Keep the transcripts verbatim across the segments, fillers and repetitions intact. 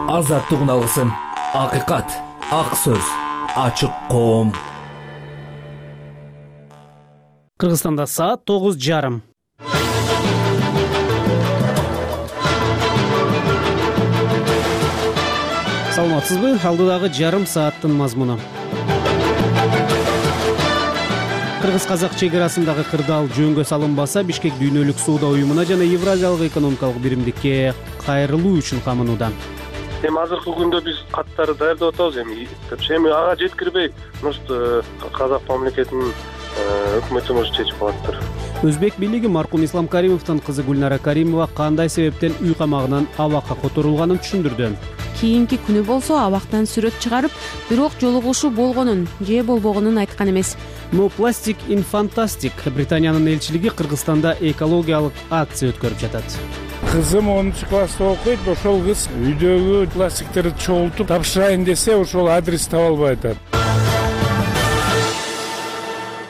азаттыгын алгысың. Акыйкат, ак сөз, ачык коом. Кыргызстанда саат тогуз жарым. Саламатсызбы? Алдыдагы жарым сааттын мазмуну. Кыргыз-казак чек-арасындагы кырдаал жөнгө салынбаса, Бишкек дүйнөлүк соода уюмуна жана Евразиялык экономикалык биримдикке кайрылуу үчүн камынууда. Эми азыркы күндө биз каттарды даярдап атабыз. Эми эми ага жеткирбей, может, казак мамлекетинин өкмөтү может чечип алаттыр. Өзбек бийлиги маркум Ислам Каримовдун кызы Гүлнара Каримова кандай себептен үй камагынан абакка которулганын түшүндүрдү. Кийинки күнү болсо абактан сүрөт чыгарып, бирок жолугушуу болгонун же болбогонун айткан эмес. No Plastic in Fantastic Британиянын элчилиги Кыргызстанда экологиялык акция өткөрүп жатат. Кызым онунчу класста окуйт, ошол кыз үйдөгү пластиктерди чогултуп тапшырайын десе, ошол адрес таба албай атат.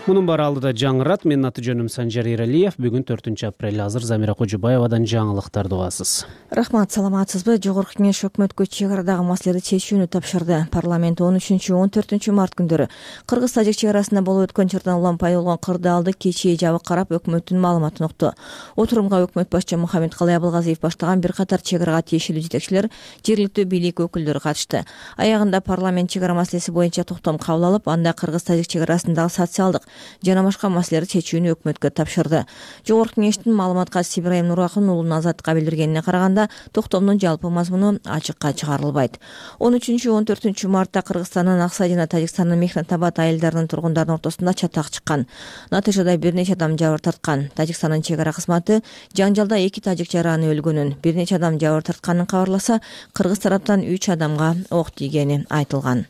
Мунун баары алдыда жаңырат. Менин аты жөнүм Санжар Эралиев. Бүгүн төртүнчү апрель. Азыр Замира Кожубаевадан жаңылыктарды угасыз. Рахмат, саламатсызбы? Жогорку Кеңеш өкмөткө чек арадагы маселелерди чечүүнү тапшырды. Парламент он үчүнчү он төртүнчү март күндөрү Кыргыз-Тажик чек арасында болуп өткөн чырдан улам пайда болгон кырдаалды кечээ жабык карап, өкмөттүн маалыматын укту. Отурумга өкмөт башчы Мухаммедкалый Абылгазиев баштаган бир катар чек арага тиешелүү жетекчилер, жергиликтүү бийлик өкүлдөрү катышты. Аягында парламент чек ара маселеси боюнча токтом кабыл алып, анда Кыргыз-Тажик чек арасындагы социалдык жана башка маселелерди чечүүнү өкмөткө тапшырды. Жогорку Кеңештин маалыматка Ибраим Нуракын уулунун Азаттыкка билдиргенине караганда, токтомдун жалпы мазмуну ачыкка чыгарылбайт. он үчүнчү он төртүнчү мартта Кыргызстандын Аксай жана Тажикстандын Мехнат Абад айылдарынын тургундарынын ортосунда чатак чыккан. Натыйжада бир нече адам жабыр тарткан. Тажикстандын чек ара кызматы жаңжалда эки тажик жараны өлгөнүн, бир нече адам жабыр тартканын кабарласа, кыргыз тараптан үч адамга ок тийгени айтылган.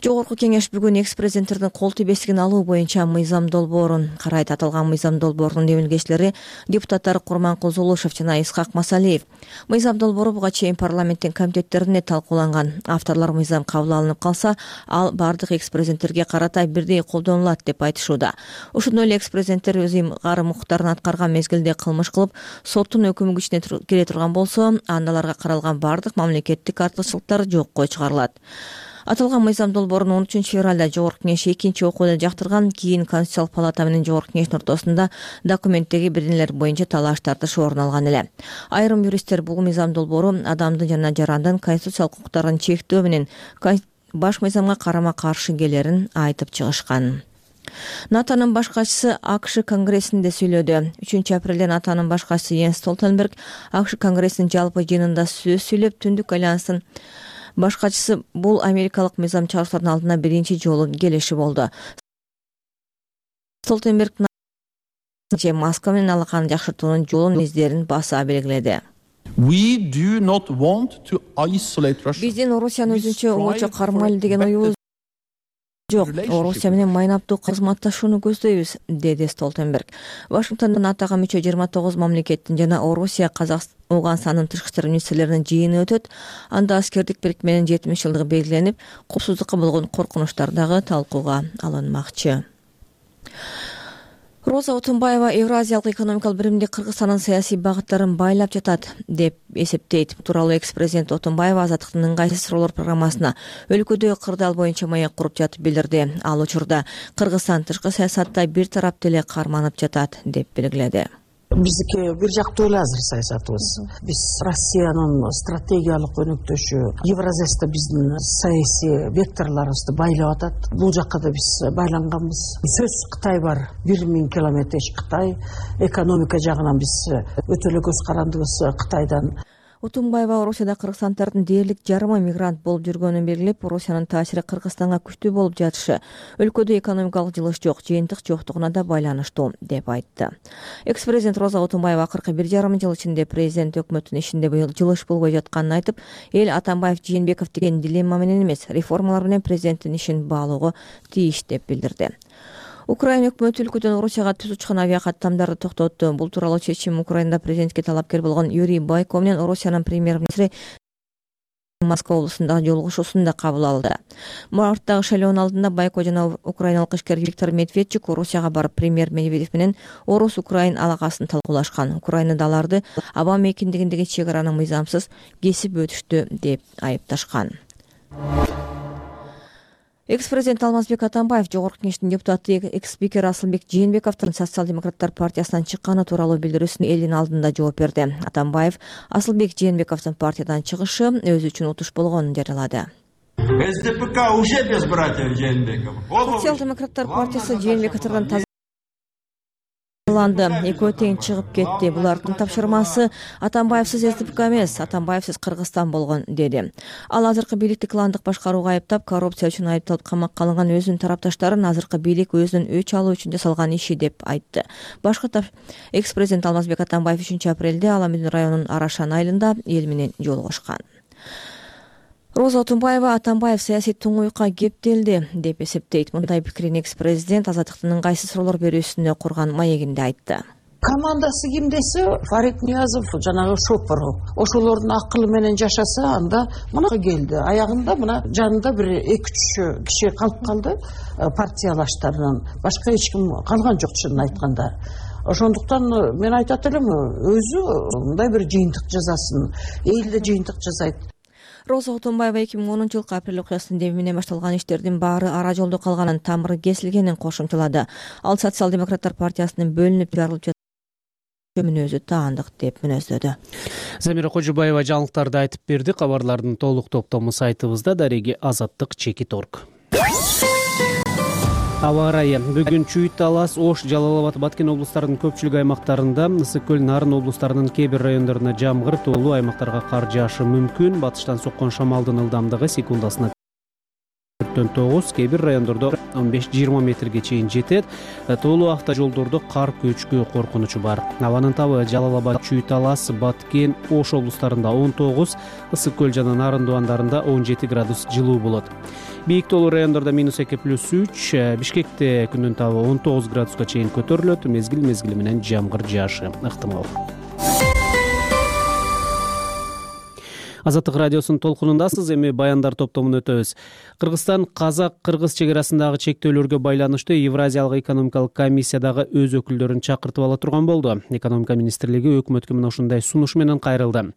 Жогорку Кеңеш бүгүн экс-президенттердин кол тийбестигин алуу боюнча мыйзам долбоорун карайт. Аталган мыйзам долбоорунун демилгечилери депутаттар Курманкул Зулушев жана Исхак Масалиев. Мыйзам долбоору буга чейин парламенттин комитеттеринде талкууланган. Авторлор мыйзам кабыл алынып калса, ал бардык экс-президенттерге карата бирдей колдонулат деп айтышууда. Ошондой эле экс-президенттер өз ыйгарым укуктарын аткарган мезгилде кылмыш кылып, соттун өкүмү күчүнө кире турган болсо, анда аларга каралган бардык мамлекеттик артыкчылыктар жокко чыгарылат. Аталган мыйзам долбоорун он үчүнчү февралда Жогорку Кеңеш экинчи окууда жактырган. Кийин Конституциялык палата менен Жогорку Кеңештин ортосунда документтеги бир нелер боюнча талаш тартыш орун алган эле. Айрым юристтер бул мыйзам долбоору адамдын жана жарандын конституциялык укуктарын чектөө менен баш мыйзамга карама каршы келерин айтып чыгышкан. НАТОнун баш катчысы АКШ конгрессинде сүйлөдү. үчүнчү апрелде НАТОнун баш катчысы Йенс Столтенберг АКШ конгрессинин жалпы жыйынында сөз сүйлөп, Түндүк альянстын баш катчысы бул америкалык мыйзам чыгаруучулардын алдына биринчи жолу келиши болду. Столтенберг Москва менен алаканы жакшыртуунун жолун издерин баса белгиледи. Биздин Орусияны өзүнчө обочо кармайлы деген оюбуз жок. Орусия менен майнаптуу кызматташууну көздөйбүз, деди Столтенберг. Вашингтондо НАТОга мүчө жыйырма тогуз мамлекеттин жана Орусия, Казакстан, Ауганстандын тышкы иштер министрлеринин жыйыны өтөт. Анда аскердик бирикменин жетимиш жылдыгы белгиленип, коопсуздукка болгон коркунучтар дагы талкууга алынмакчы. Роза Отунбаева Евразиялык экономикалык биримдик Кыргызстандын саясий багыттарын байлап жатат деп эсептейт. Бул тууралуу экс-президент Отунбаева Азаттыктын ыңгайсыз суроолор программасына өлкөдө кырдаал боюнча маек куруп жатып билдирди. Ал учурда Кыргызстан тышкы саясатта бир тараптуу эле карманып жатат деп белгиледи. Биздики бир жактуу эле азыр саясатыбыз. Биз Россиянын стратегиялык өнөктөшү, Евразияда биздин саясий векторлорубузду байлап атат. Бул жакка да биз байланганбыз. Сөзсүз Кытай бар, бир миң километр Кытай. Экономика жагынан биз өтө эле көз карандыбыз Кытайдан. Отунбаева Орусияда кыргызстандардын дээрлик жарымы мигрант болуп жүргөнүн белгилеп, Орусиянын таасири Кыргызстанга күчтүү болуп жатышы, өлкөдө экономикалык жылыш жок, жыйынтык жоктугуна да байланыштуу деп айтты. Экс-президент Роза Отунбаева акыркы бир жарым жыл ичинде президент өкмөттүн ишинде быйыл жылыш болбой жатканын айтып, эл Атамбаев Жээнбеков деген дилемма менен эмес, реформалар менен президенттин ишин баалоого тийиш деп билдирди. Украина өкмөтү өлкөдөн Орусияга түз учкан авиакаттамдарды токтотту. Бул тууралуу чечим Украинада президентке талапкер болгон Юрий Бойко менен Орусиянын премьер-министри Москва облусундагы жолугушуусунда кабыл алды. Марттагы шайлоонун алдында Байко жана украиналык ишкер Виктор Медведчук Орусияга барып премьер Медведев менен Орус-Украин алакасын талкуулашкан. Украинада аларды аба мейкиндигиндеги чек араны мыйзамсыз кесип өтүштү деп айыпташкан. Экс-президент Алмазбек Атамбаев Жогорку Кеңештин депутаты экс-спикер Асылбек Жээнбековдун Социал-демократтар партиясынан чыкканы тууралуу билдирүүсүн элдин алдында жооп берди. Атамбаев Асылбек Жээнбековдун партиядан чыгышы өзү үчүн утуш болгонун жарыялады. СДПК уже без братьев Жээнбеков. Социал-демократтар партиясы Жээнбековдордон тазаланды. Экөө тең чыгып кетти. Булардын тапшырмасы Атамбаевсиз СДПК эмес, Атамбаевсиз Кыргызстан болгон деди. Ал азыркы бийликти кландык башкарууга айыптап, коррупция үчүн айыпталып камакка алынган өзүнүн тарапташтарын азыркы бийлик өзүнүн өч алуу үчүн жасалган иши деп айтты. Башкы экс-президент Алмазбек Атамбаев үчүнчү апрелде Аламүдүн районунун Арашан айылында эл менен жолугушкан. Роза Отунбаева Атамбаев саясий туңгуйукка кептелди деп эсептейт. Мындай пикирин экс-президент Азаттыктын ыңгайсыз суроолор берүүсүнө курган маегинде айтты. Командасы ким десе, Фарид Ниязов, жанагы Шопоров. Ошолордун акылы менен жашаса, анда мына келди. Аягында мына жанында бир эки үч киши калып калды, партиялаштарынан. Башка эч ким калган жок, чынын айтканда. Ошондуктан мен айтат элем, өзү мындай бир жыйынтык жасасын, элде жыйынтык жасайт. Роза Отунбаева эки миң онунчу жылкы апрель окуясынын деби менен башталган иштердин баары ара жолдо калганын, тамыры кесилгенин кошумчалады. Ал Социал-демократтар партиясынын бөлүнүп жарылып жатканын өзү таандык деп мүнөздөдү. Замира Кожубаева жаңылыктарды айтып берди. Кабарлардын толук топтому сайтыбызда, дареги азаттык чекит орг. Аба ырайы. Бүгүн Чүйүт, Талас, Ош, Жалал-Абад, Баткен облустарынын көпчүлүк аймактарында, Ысык көл, Нарын облустарынын кээ бир райондоруна жамгыр, тоолуу аймактарга кар жаашы мүмкүн. Батыштан соккон шамалдын ылдамдыгы секундасына төрттөн тогуз, кээ бир райондордо он беш жыйырма метрге чейин жетет. Тоолуу автожолдордо кар көчкү коркунучу бар. Абанын табы Жалал-Абад, Чүйүт, Талас, Баткен, Ош облустарында он тогуз, Ысык көл жана Нарын дубандарында он жети градус жылуу болот. Бийик тоолуу райондордо минус эки плюс үч, Бишкекте күндүн табы он тогуз градуска чейин көтөрүлөт. Мезгил мезгили менен жамгыр жаашы ыктымал. Азаттык радиосунун толкунундасыз. Эми баяндар топтомун өтөбүз. Кыргызстан казак-кыргыз чек арасындагы чектөөлөргө байланыштуу Евразиялык экономикалык комиссиядагы өз өкүлдөрүн чакыртып ала турган болду. Экономика министрлиги өкмөткө мына ушундай сунуш менен кайрылды.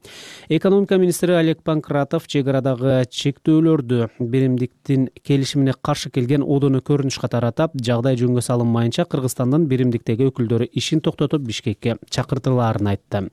Экономика министри Олег Панкратов чек арадагы чектөөлөрдү биримдиктин келишимине каршы келген одону көрүнүш катары атап, жагдай жөнгө салынмайынча Кыргызстандын биримдиктеги өкүлдөрү ишин токтотуп Бишкекке чакыртылаарын айтты.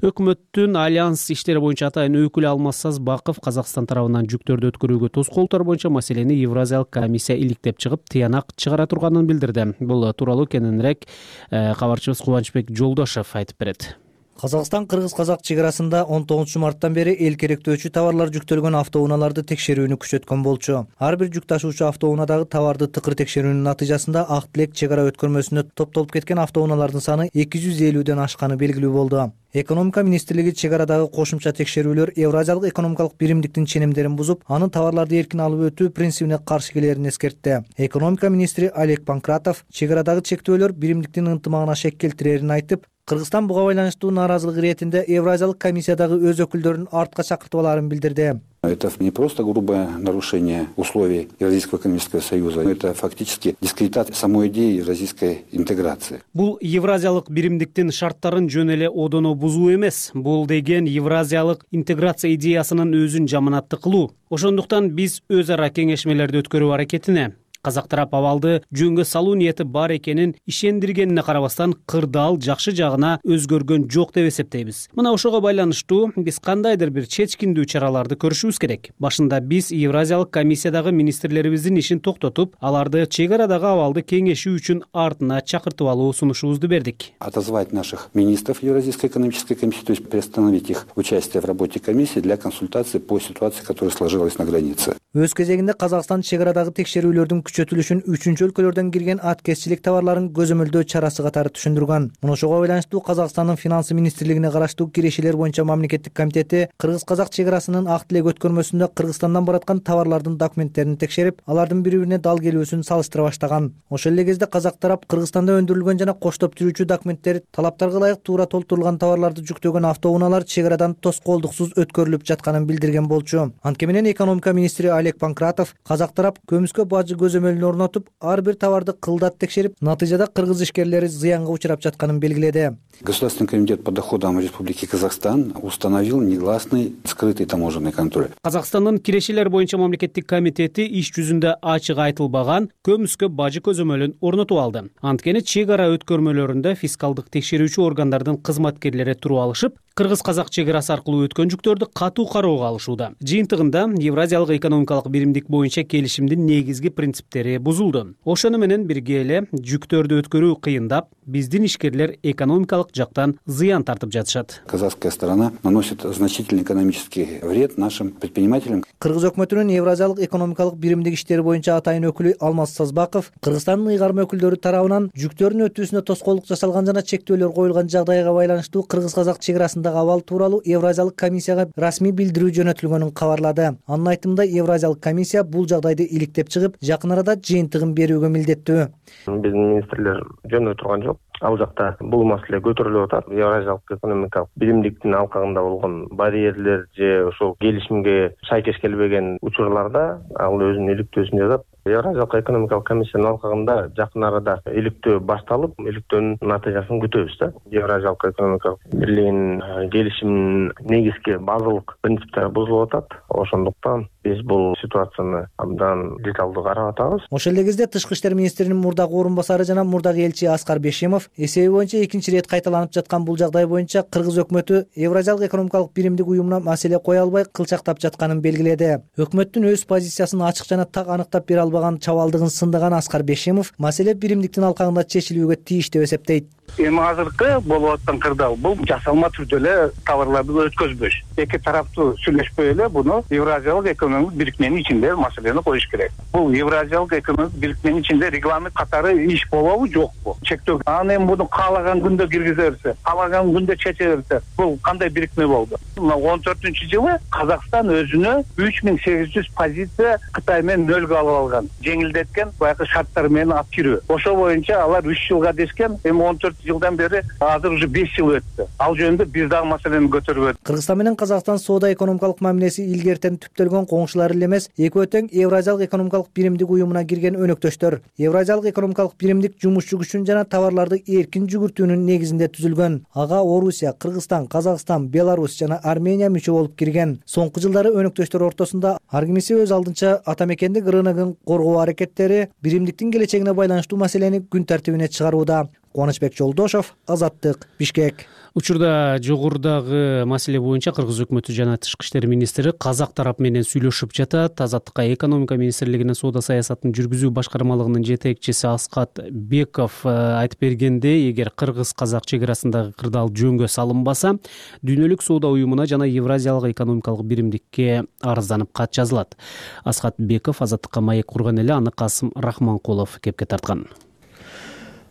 Өкмөттүн альянс иштери боюнча атайын өкүлү Алмаз Сазбаков Казакстан тарабынан жүктөрдү өткөрүүгө тоскоолдор боюнча маселени Евразиялык комиссия иликтеп чыгып, тыянак чыгара турганын билдирди. Бул тууралуу кененирээк кабарчыбыз Кубанычбек Жолдошев айтып берет. Казакстан-Кыргыз-Казак чек арасында он тогузунчу марттан бери эл керектөөчү товарлар жүктөлгөн автоунааларды текшерүүнү күчөткөн болчу. Ар бир жүк ташуучу автоунаадагы товарды тыкыр текшерүүнүн натыйжасында Ак Тилек чек ара өткөрмөсүнө топтолуп кеткен автоунаалардын саны эки жүз элүүдөн ашканы белгилүү болду. Экономика министрлиги чек арадагы кошумча текшерүүлөр Евразиялык экономикалык биримдиктин ченемдерин бузуп, анын товарларды эркин алып өтүү принцибине каршы келерин эскертти. Экономика министри Олег Панкратов чек арадагы чектөөлөр биримдиктин ынтымагына шек келтирерин айтып, Кыргызстан буга байланыштуу нааразылык иретинде Евразиялык комиссиядагы өз өкүлдөрүн артка чакыртып аларын билдирди. Это не просто грубое нарушение условий Евразийского экономического союза, это фактически дискредитация самой идеи евразийской интеграции. Бул Евразиялык биримдиктин шарттарын жөн эле одоно бузуу эмес. Бул деген Евразиялык интеграция идеясынын өзүн жаманатты кылуу. Ошондуктан биз өз ара кеңешмелерди өткөрүү аракетине, казак тарап абалды жөнгө салуу ниети бар экенин ишендиргенине карабастан кырдаал жакшы жагына өзгөргөн жок деп эсептейбиз. Мына ошого байланыштуу биз кандайдыр бир чечкиндүү чараларды көрүшүбүз керек. Башында биз Евразиялык комиссиядагы министрлерибиздин ишин токтотуп, аларды чек арадагы абалды кеңешүү үчүн артына чакыртып алуу сунушубузду бердик. Отозвать наших министров Евразийской экономической комиссии, то есть приостановить их участие в работе комиссии для консультации по ситуации, которая сложилась на границе. Өз кезегинде Казакстан чек арадагы текшерүүлөрдүн күчөтүлүшүн үчүнчү өлкөлөрдөн кирген аткезчилик товарларын көзөмөлдөө чарасы катары түшүндүргөн. Ошого байланыштуу Казакстандын финансы министрлигине караштуу кирешелер боюнча мамлекеттик комитети кыргыз-казак чек арасынын акт элек өткөрмөсүндө Кыргызстандан бараткан товарлардын документтерин текшерип, алардын бири-бирине дал келүүсүн салыштыра баштаган. Ошол эле кезде казак тарап Кыргызстанда өндүрүлгөн жана коштоп жүрүүчү документтер талаптарга ылайык туура толтурулган товарларды жүктөгөн автоунаалар чек арадан тоскоолдуксуз өткөрүлүп жатканын билдирген болчу. Анткени менен экономика министри Олег Панкратов казак тарап көмүскө бажы көзөмөлүн орнотуп, ар бир товарды кылдат текшерип, натыйжада кыргыз ишкерлери зыянга учурап жатканын белгиледи. Государственный комитет по доходам Республики Казахстан установил негласный скрытый таможенный контроль. Казакстандын кирешелер боюнча мамлекеттик комитети иш жүзүндө ачык айтылбаган көмүскө бажы көзөмөлүн орнотуп алды. Анткени чек ара өткөрмөлөрүндө фискалдык текшерүүчү органдардын кызматкерлери туруп алышып, кыргыз-казак чек арасы аркылуу өткөн жүктөрдү катуу кароого алышууда. Жыйынтыгында Евразиялык экономикалык биримдик боюнча келишимдин негизги принциптери бузулду. Ошону менен бирге эле жүктөрдү өткөрүү кыйындап, биздин ишкерлер экономикалык жактан зыян тартып жатышат. Казахская сторона наносит значительный экономический вред нашим предпринимателям. Кыргыз өкмөтүнүн Евразиялык экономикалык биримдик иштери боюнча атайын өкүлү Алмаз Сазбаков Кыргызстандын ыйгарма өкүлдөрү тарабынан жүктөрдүн өтүүсүнө тоскоолдук жасалган жана чектөөлөр коюлган жагдайга байланыштуу кыргыз-казак чек арасындагы абал тууралуу Евразиялык комиссияга расмий билдирүү жөнөтүлгөнүн кабарлады. Анын айтымында Евразиялык комиссия бул жагдайды иликтеп чыгып, жакын арада жыйынтыгын берүүгө милдеттүү. Биздин министрлер жөндөй турган жок. Ал жакта бул маселе көтөрүлүп атат. Евразиялык экономикалык биримдиктин алкагында болгон барьерлер же ошол келишимге шайкеш келбеген учурларда ал өзүнүн иликтөөсүн жазат. Евразиялык экономикалык комиссиянын алкагында жакын арада иликтөө башталып, иликтөөнүн натыйжасын күтөбүз да. Евразиялык экономикалык бирлигинин келишиминин негизги базалык принциптери бузулуп атат. Ошондуктан биз бул ситуацияны абдан деталдуу карап атабыз. Ошол эле кезде тышкы иштер министринин мурдагы орун басары жана мурдагы элчи Аскар Бешимов эсеби боюнча экинчи ирет кайталанып жаткан бул жагдай боюнча Кыргыз өкмөтү Евразиялык экономикалык биримдик уюмуна маселе кое албай кылчактап жатканын белгиледи. Өкмөттүн өз позициясын ачык жана так аныктап бере албаган чабалдыгын сындаган Аскар Бешимов маселе биримдиктин алкагында чечилүүгө тийиш деп эсептейт. Эми азыркы болуп аткан кырдаал бул жасалма түрдө эле товарларды өткөзбөш. Эки тараптуу сүйлөшпөй эле буну Евразиялык экономикалык бирикменин ичинде маселени коюш керек. Бул Евразиялык экономикалык бирикменин ичинде регламент катары иш болобу жокпу? Чектөө. Аны эми буну каалаган күндө киргизе берсе, каалаган күндө чече берсе, бул кандай бирикме болду? он төртүнчү жылы Казакстан өзүнө үч миң сегиз жүз позиция Кытай менен нөлгө алып алган. Жеңилдеткен баягы шарттар менен алып кирүү. Ошол боюнча алар үч жылга дешкен, эми он төрт жылдан бери азыр уже беш жыл өттү. Ал жөнүндө бир дагы маселени көтөрүп өттү. Кыргызстан менен Казакстан соода экономикалык мамилеси илгертен түптөлгөн коңшулар эле эмес, экөө тең Евразиялык экономикалык биримдик уюмуна кирген өнөктөштөр. Евразиялык экономикалык биримдик жумушчу күчүн жана товарларды эркин жүгүртүүнүн негизинде түзүлгөн. Ага Орусия, Кыргызстан, Казакстан, Беларусь жана Армения мүчө болуп кирген. Соңку жылдары өнөктөштөр ортосунда ар кимиси өз алдынча атамекендик рыногун коргоо аракеттери биримдиктин келечегине байланыштуу маселени күн тартибине чыгарууда. Кубанычбек Жолдошов, Азаттык, Бишкек. Учурда жогорудагы маселе боюнча Кыргыз өкмөтү жана тышкы иштер министри казак тарап менен сүйлөшүп жатат. Азаттыкка экономика министрлигинин соода саясатын жүргүзүү башкармалыгынын жетекчиси Аскат Беков айтып бергендей, эгер кыргыз-казак чек арасындагы кырдаал жөнгө салынбаса, дүйнөлүк соода уюмуна жана Евразиялык экономикалык биримдикке арызданып кат жазылат. Аскат Беков Азаттыкка маек курган эле аны Касым Рахманкулов кепке тарткан.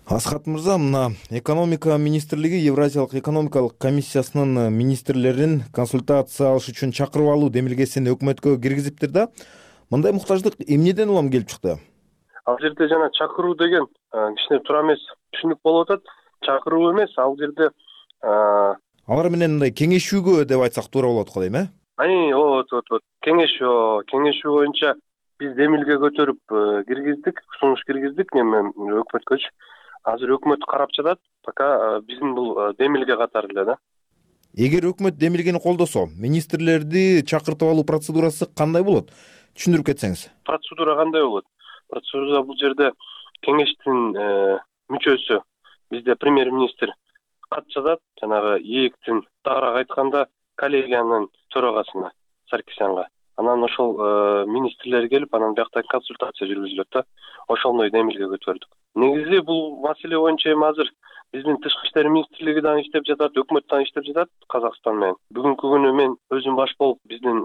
Аскат мырза, мына экономика министрлиги Евразиялык экономикалык комиссиясынын министрлерин консультация алыш үчүн чакырып алуу демилгесин өкмөткө киргизиптир да. Мындай муктаждык эмнеден улам келип чыкты? Ал жерде жана чакыруу деген кичине туура эмес түшүнүк болуп атат. Чакыруу эмес, ал жерде алар менен мындай кеңешүүгө деп айтсак туура болот го дейм, э? Ани, вот, вот, вот. Кеңешүү, кеңешүү боюнча биз демилге көтөрүп киргиздик, сунуш киргиздик неме өкмөткөчү. Азыр өкмөт карап жатат, пока биздин бул демилге катары эле да. Эгер өкмөт демилгени колдосо, министрлерди чакыртып алуу процедурасы кандай болот? Түшүндүрүп кетсеңиз. Процедура кандай болот? Процедура бул жерде кеңештин мүчөсү, бизде премьер-министр кат жазат, жанагы ээктин тагыраак айтканда коллегиянын төрагасына, Саркисянга. Анан ошол министрлер келип, анан бияктан консультация жүргүзүлөт да. Ошондой демилге көтөрдүк. Негизи бул маселе боюнча эми азыр биздин тышкы иштер министрлиги дагы иштеп жатат, өкмөт дагы иштеп жатат Казакстан менен. Бүгүнкү күнү мен өзүм баш болуп биздин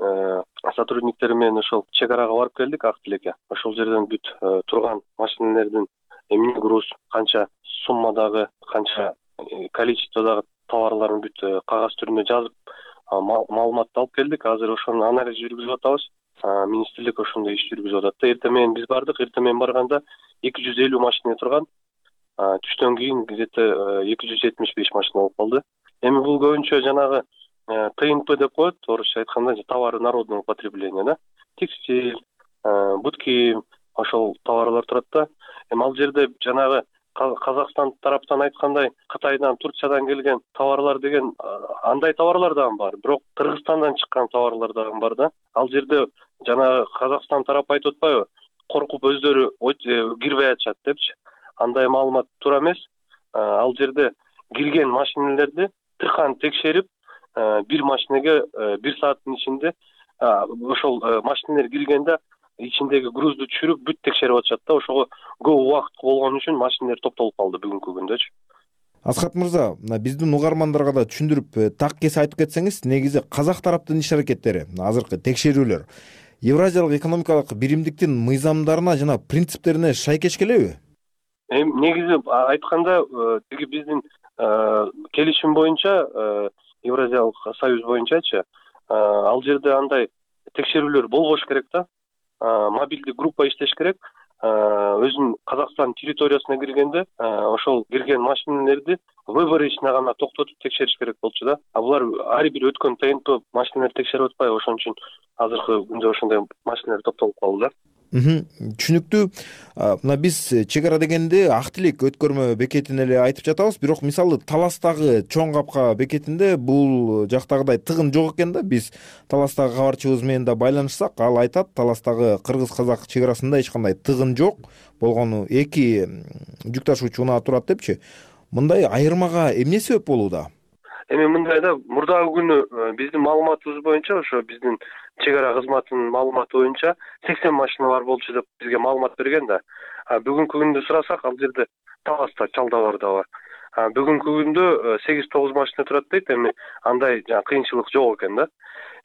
сотрудниктер менен ошол чек арага барып келдик ак тилекке. Ошол жерден бүт турган машиналердин эмне груз, канча суммадагы, канча количестводагы товарларын бүт кагаз түрүндө жазып маалыматты алып келдик. Азыр ошонун анализ жүргүзүп атабыз. Министрлик ошондой иш жүргүзүп атат. Эртең менен биз бардык. Эртең менен барганда эки жүз элүү машина турган. Түштөн кийин где-то эки жүз жетимиш беш машина болуп калды. Эми бул көбүнчө жанагы ТНП деп коет, орусча айтканда товары народного потребления, да. Текстиль, будки, ошол товарлар турат да. Эми ал жерде жанагы Казакстан тараптан айткандай Кытайдан, Турциядан келген товарлар деген андай товарлар дагы бар. Бирок Кыргызстандан чыккан товарлар дагы бар да. Ал жерде жанагы Казакстан тарапы айтып атпайбы? Коркуп өздөрү кирбей атышат депчи. Андай маалымат туура эмес. Ал жерде кирген машиналерди тыркан текшерип, бир машинеге бир сааттын ичинде ошол машиналер киргенде ичиндеги грузду түшүрүп бүт текшерип атышат да. Ошого көп убакыт болгон үчүн машиналер топтолуп калды бүгүнкү күндөчү. Асхат мырза, биздин угармандарга да түшүндүрүп так кесе айтып кетсеңиз, негизи казак тараптын иш аракеттери, азыркы текшерүүлөр Евразиялык экономикалык биримдиктин мыйзамдарына жана принциптерине шайкеш келеби? Эми негизи айтканда, тиги биздин келишим боюнча, Евразиялык союз боюнчачы, ал жерде андай текшерүүлөр болбош керек да. Мобилдик группа иштеш керек. Өзүнүн Казакстан территориясына киргенде ошол кирген машиналерди выборочно гана токтотуп текшериш керек болчу да. А булар ар бир өткөн ТНП машиналерди текшерип атпайбы, ошон үчүн азыркы күндө ошондой машиналер топтолуп калды да. Түшүнүктүү. Мына биз чек ара дегенде ак тилек өткөрмө бекетин эле айтып жатабыз, бирок мисалы Таластагы чоң капка бекетинде бул жактагыдай тыгын жок экен да. Биз Таластагы кабарчыбыз менен да байланышсак, ал айтат, Таластагы кыргыз-казак чек арасында эч кандай тыгын жок, болгону эки жүк ташуучу унаа турат депчи. Мындай айырмага эмне себеп болууда? Эми мындай да, мурдагы күнү биздин маалыматыбыз боюнча, ошо биздин чек ара кызматынын маалыматы боюнча сексен машина бар болчу деп бизге маалымат берген да. Бүгүнкү күндө сурасак, ал жерде Таласта чалдабар да бар. Бүгүнкү күндө сегиз тогуз машина турат дейт. Эми андай кыйынчылык жок экен да.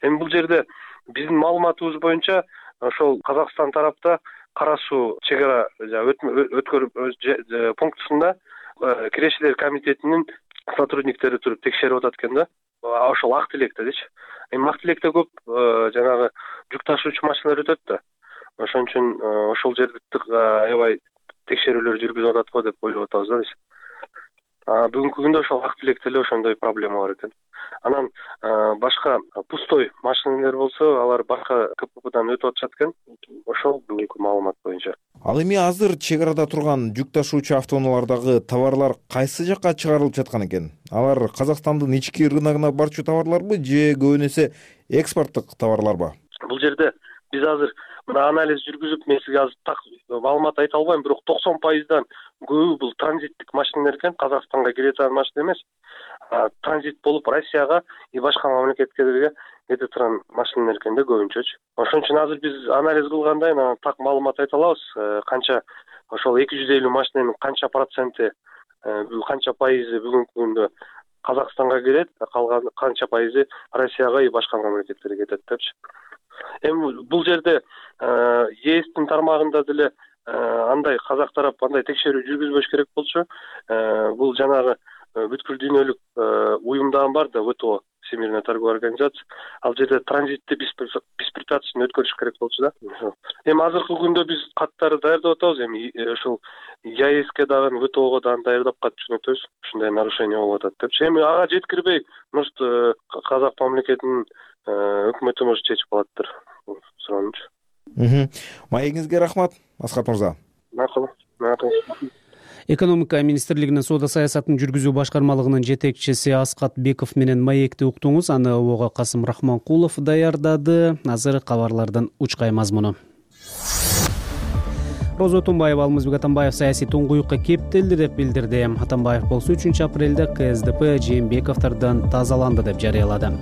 Эми бул жерде биздин маалыматыбыз боюнча ошол Казакстан тарапта Кара суу чек ара өткөрүү пунктусунда кирешилер комитетинин сотрудниктери туруп текшерип атат экен да. Ошол ак тилекте дечи. Эми ак тилекте көп жанагы жүк ташуучу машиналар өтөт да. Ошон үчүн ошол жерде аябай текшерүүлөр жүргүзүп атат го деп ойлоп атабыз да биз. Бүгүнкү күндө ошол ак тилекте эле ошондой проблема бар экен. Анан башка пустой машиналар болсо, алар башка КППдан өтүп атышат экен. Ошол бүгүнкү маалымат боюнча. Ал эми азыр чек арада турган жүк ташуучу автоунаалардагы товарлар кайсы жакка чыгарылып жаткан экен? Алар Казакстандын ички рыногуна барчу товарларбы же көбүн эсе экспорттук товарларбы? Бул жерде биз азыр мына анализ жүргүзүп, мен сизге азыр так маалымат айта албайм, бирок токсон пайыздан көбү бул транзиттик машиналар экен, Казакстанга кире турган машина эмес. Транзит болуп Россияга и башка мамлекеттерге кете турган машиналар экен да көбүнчөчү. Ошон үчүн азыр биз анализ кылгандай так маалымат айта алабыз. Канча ошол эки жүз элүү машинанын канча проценти, канча пайызы бүгүнкү күндө Казакстанга кирет, калган канча пайызы Россияга и башка мамлекеттерге кетет депчи. Эми бул жерде ЕСтин тармагында деле андай казак тарап андай текшерүү жүргүзбөш керек болчу. Бул жанагы бүткүл дүйнөлүк уюм дагы бар да, ВТО, Всемирная торговая организация. Ал жерде транзитти беспрепятственно өткөрүш керек болчу да. Эми азыркы күндө биз каттарды даярдап атабыз. Эми ошол ЕСке дагы, ВТОго дагы даярдап кат жөнөтөбүз. Ушундай нарушение болуп атат депчи. Эми ага жеткирбей, может, казак мамлекетинин өкмөтү может чечип калаттыр суранычы. Маегиңизге рахмат, Асхат мырза. Макул. Макул. Экономика министрлигинин соода саясатын жүргүзүү башкармалыгынын жетекчиси Асхат Беков менен маекти уктуңуз. Аны ого Касым Рахманкулов даярдады. Азыр кабарлардын учкай мазмуну. Роза Тумбаева Алмазбек Атамбаев саясий туңгуюкка кептелди деп билдирди. Атамбаев болсо үчүнчү апрелде ка эс дэ пэ Жээнбековдордон тазаланды деп жарыялады.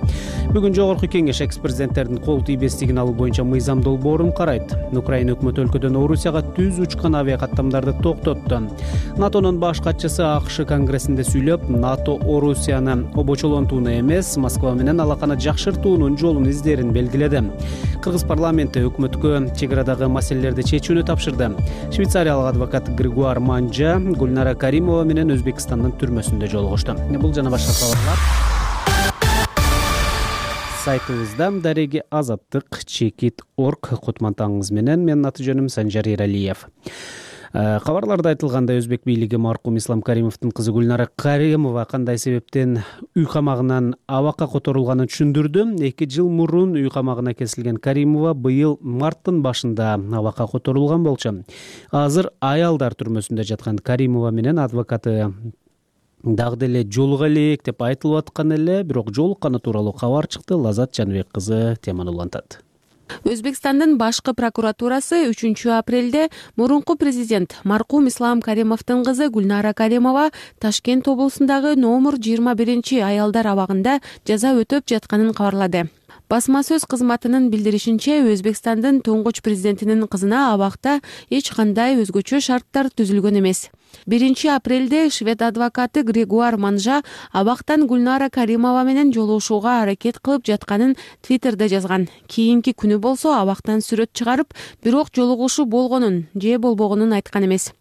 Бүгүн жогорку кеңеш экс-президенттердин кол тийбестигин алуу боюнча мыйзам долбоорун карайт. Украина өкмөтү өлкөдөн Орусияга түз учкан авиакаттамдарды токтотту. НАТОнун баш катчысы АКШ конгрессинде сүйлөп, НАТО Орусияны обочолонтууну эмес, Москва менен алаканы жакшыртуунун жолун издерин белгиледи. Кыргыз парламенти өкмөткө чек арадагы маселелерди чечүүнү тапшырды. Швейцариялык адвокат Григуар Манжа Гүлнара Каримова менен Өзбекстандын түрмөсүндө жолугушту. Бул жана башка кабарлар сайтыбызда дареги азаттык чекит орг кутмантаңыз менен. Менин аты жөнүм Санжар Эралиев. Кабарларда айтылгандай, өзбек бийлиги маркум Ислам Каримовдун кызы Гүлнара Каримова кандай себептен үй камагынан абакка которулганын түшүндүрдү. эки жыл мурун үй камагына кесилген Каримова быйыл марттын башында абакка которулган болчу. Азыр аялдар түрмөсүндө жаткан Каримова менен адвокаты дагы деле жолуга элек деп айтылып аткан эле, бирок жолукканы тууралуу кабар чыкты. Лазат Жаныбек кызы теманы улантат. Өзбекстандын башкы прокуратурасы үчүнчү апрелде мурунку президент маркум Ислам Каримовдун кызы Гүлнара Каримова Ташкент облусундагы номер жыйырма биринчи аялдар абагында жаза өтөп жатканын кабарлады. Басма сөз кызматынын билдиришинче, Өзбекстандын туңгуч президентинин кызына абакта эч кандай өзгөчө шарттар түзүлгөн эмес. биринчи апрелде швед адвокаты Григуар Манжа абактан Гүлнара Каримова менен жолугушууга аракет кылып жатканын Твиттерде жазган. Кийинки күнү болсо абактан сүрөт чыгарып, бирок жолугушуу болгонун же болбогонун айткан эмес.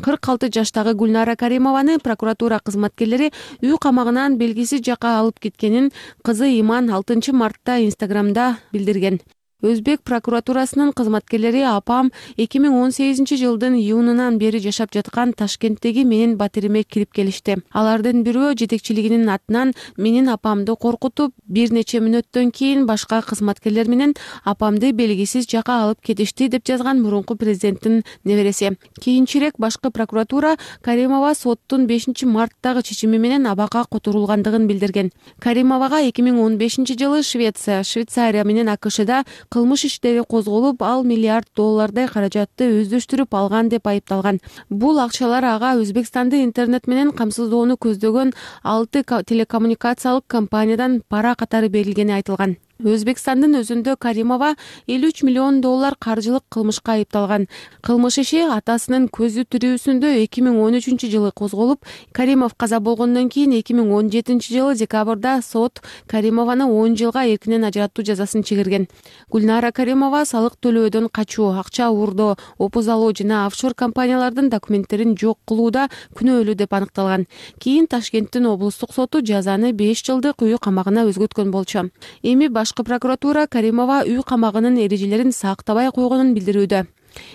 кырк алты жаштагы Гүлнара Каримованы прокуратура кызматкерлери үй камагынан белгисиз жакка алып кеткенин кызы Иман алтынчы мартта Инстаграмда билдирген. Өзбек прокуратурасынын кызматкерлери апам эки миң он сегизинчи жылдын июнунан бери жашап жаткан Ташкенттеги менин батириме кирип келишти. Алардын бирөө жетекчилигинин атынан менин апамды коркутуп, бир нече мүнөттөн кийин башка кызматкерлер менен апамды белгисиз жакка алып кетишти деп жазган мурунку президенттин небереси. Кийинчерээк башкы прокуратура Каримова соттун бешинчи марттагы чечими менен абакка которулгандыгын билдирген. Каримовага эки миң он бешинчи жылы Швеция, Швейцария менен АКШда кылмыш иштери козголуп, ал миллиард доллардай каражатты өздөштүрүп алган деп айыпталган. Бул акчалар ага Өзбекстанды интернет менен камсыздоону көздөгөн алты телекоммуникациялык компаниядан пара катары берилгени айтылган. Өзбекстандын өзүндө Каримова элүү үч миллион доллар каржылык кылмышка айыпталган. Кылмыш иши атасынын көзү тирүүсүндө эки миң он үчүнчү жылы козголуп, Каримов каза болгондон кийин эки миң он жетинчи жылы декабрда сот Каримованы он жылга эркинен ажыратуу жазасын чыгарган. Гүлнара Каримова салык төлөөдөн качуу, акча уурдоо, опуз алуу жана офшор компаниялардын документтерин жок кылууда күнөөлүү деп аныкталган. Кийин Ташкенттин облустук соту жазаны беш жылдык үй камагына өзгөрткөн болчу. Эми башкы прокуратура Каримова үй камагынын эрежелерин сактабай койгонун билдирүүдө.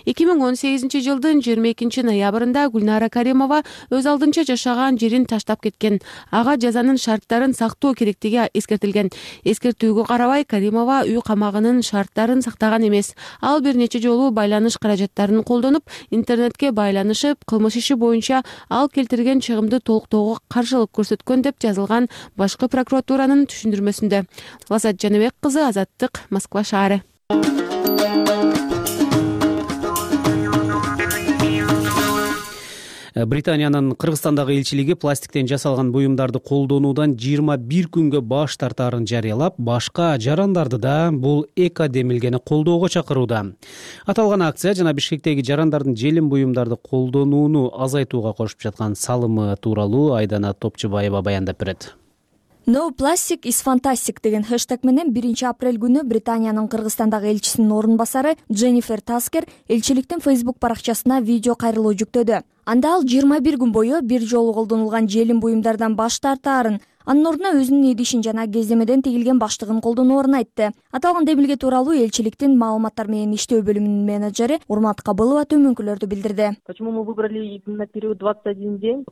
эки миң он сегизинчи жылдын жыйырма экинчи ноябрында Гүлнара Каримова өз алдынча жашаган жерин таштап кеткен. Ага жазанын шарттарын сактоо керектиги эскертилген. Эскертүүгө карабай Каримова үй камагынын шарттарын сактаган эмес. Ал бир нече жолу байланыш каражаттарын колдонуп, интернетке байланышып, кылмыш иши боюнча ал келтирген чыгымды толуктоого каршылык көрсөткөн деп жазылган башкы прокуратуранын түшүндүрмөсүндө. Лазат Жаныбек кызы, Азаттык, Москва шаары. Британиянын Кыргызстандагы элчилиги пластиктен жасалган буюмдарды колдонуудан жыйырма бир күнгө баш тартаарын жарыялап, башка жарандарды да бул эко демилгени колдоого чакырууда. Аталган акция жана Бишкектеги жарандардын желим буюмдарды колдонууну азайтууга кошуп жаткан салымы тууралуу Айдана Топчубаева баяндап берет. No plastic is fantastic деген хэштег менен биринчи апрель күнү Британиянын Кыргызстандагы элчисинин орун басары Дженнифер Таскер элчиликтин Facebook баракчасына видео кайрылуу жүктөдү. Анда ал жыйырма бир күн бою бир жолу колдонулган желим буюмдардан баш тартаарын, анын ордуна өзүнүн идишин жана кездемеден тигилген баштыгын колдоноорун айтты. Аталган демилге тууралуу элчиликтин маалыматтар менен иштөө бөлүмүнүн менеджери Урмат Кабылова төмөнкүлөрдү билдирди.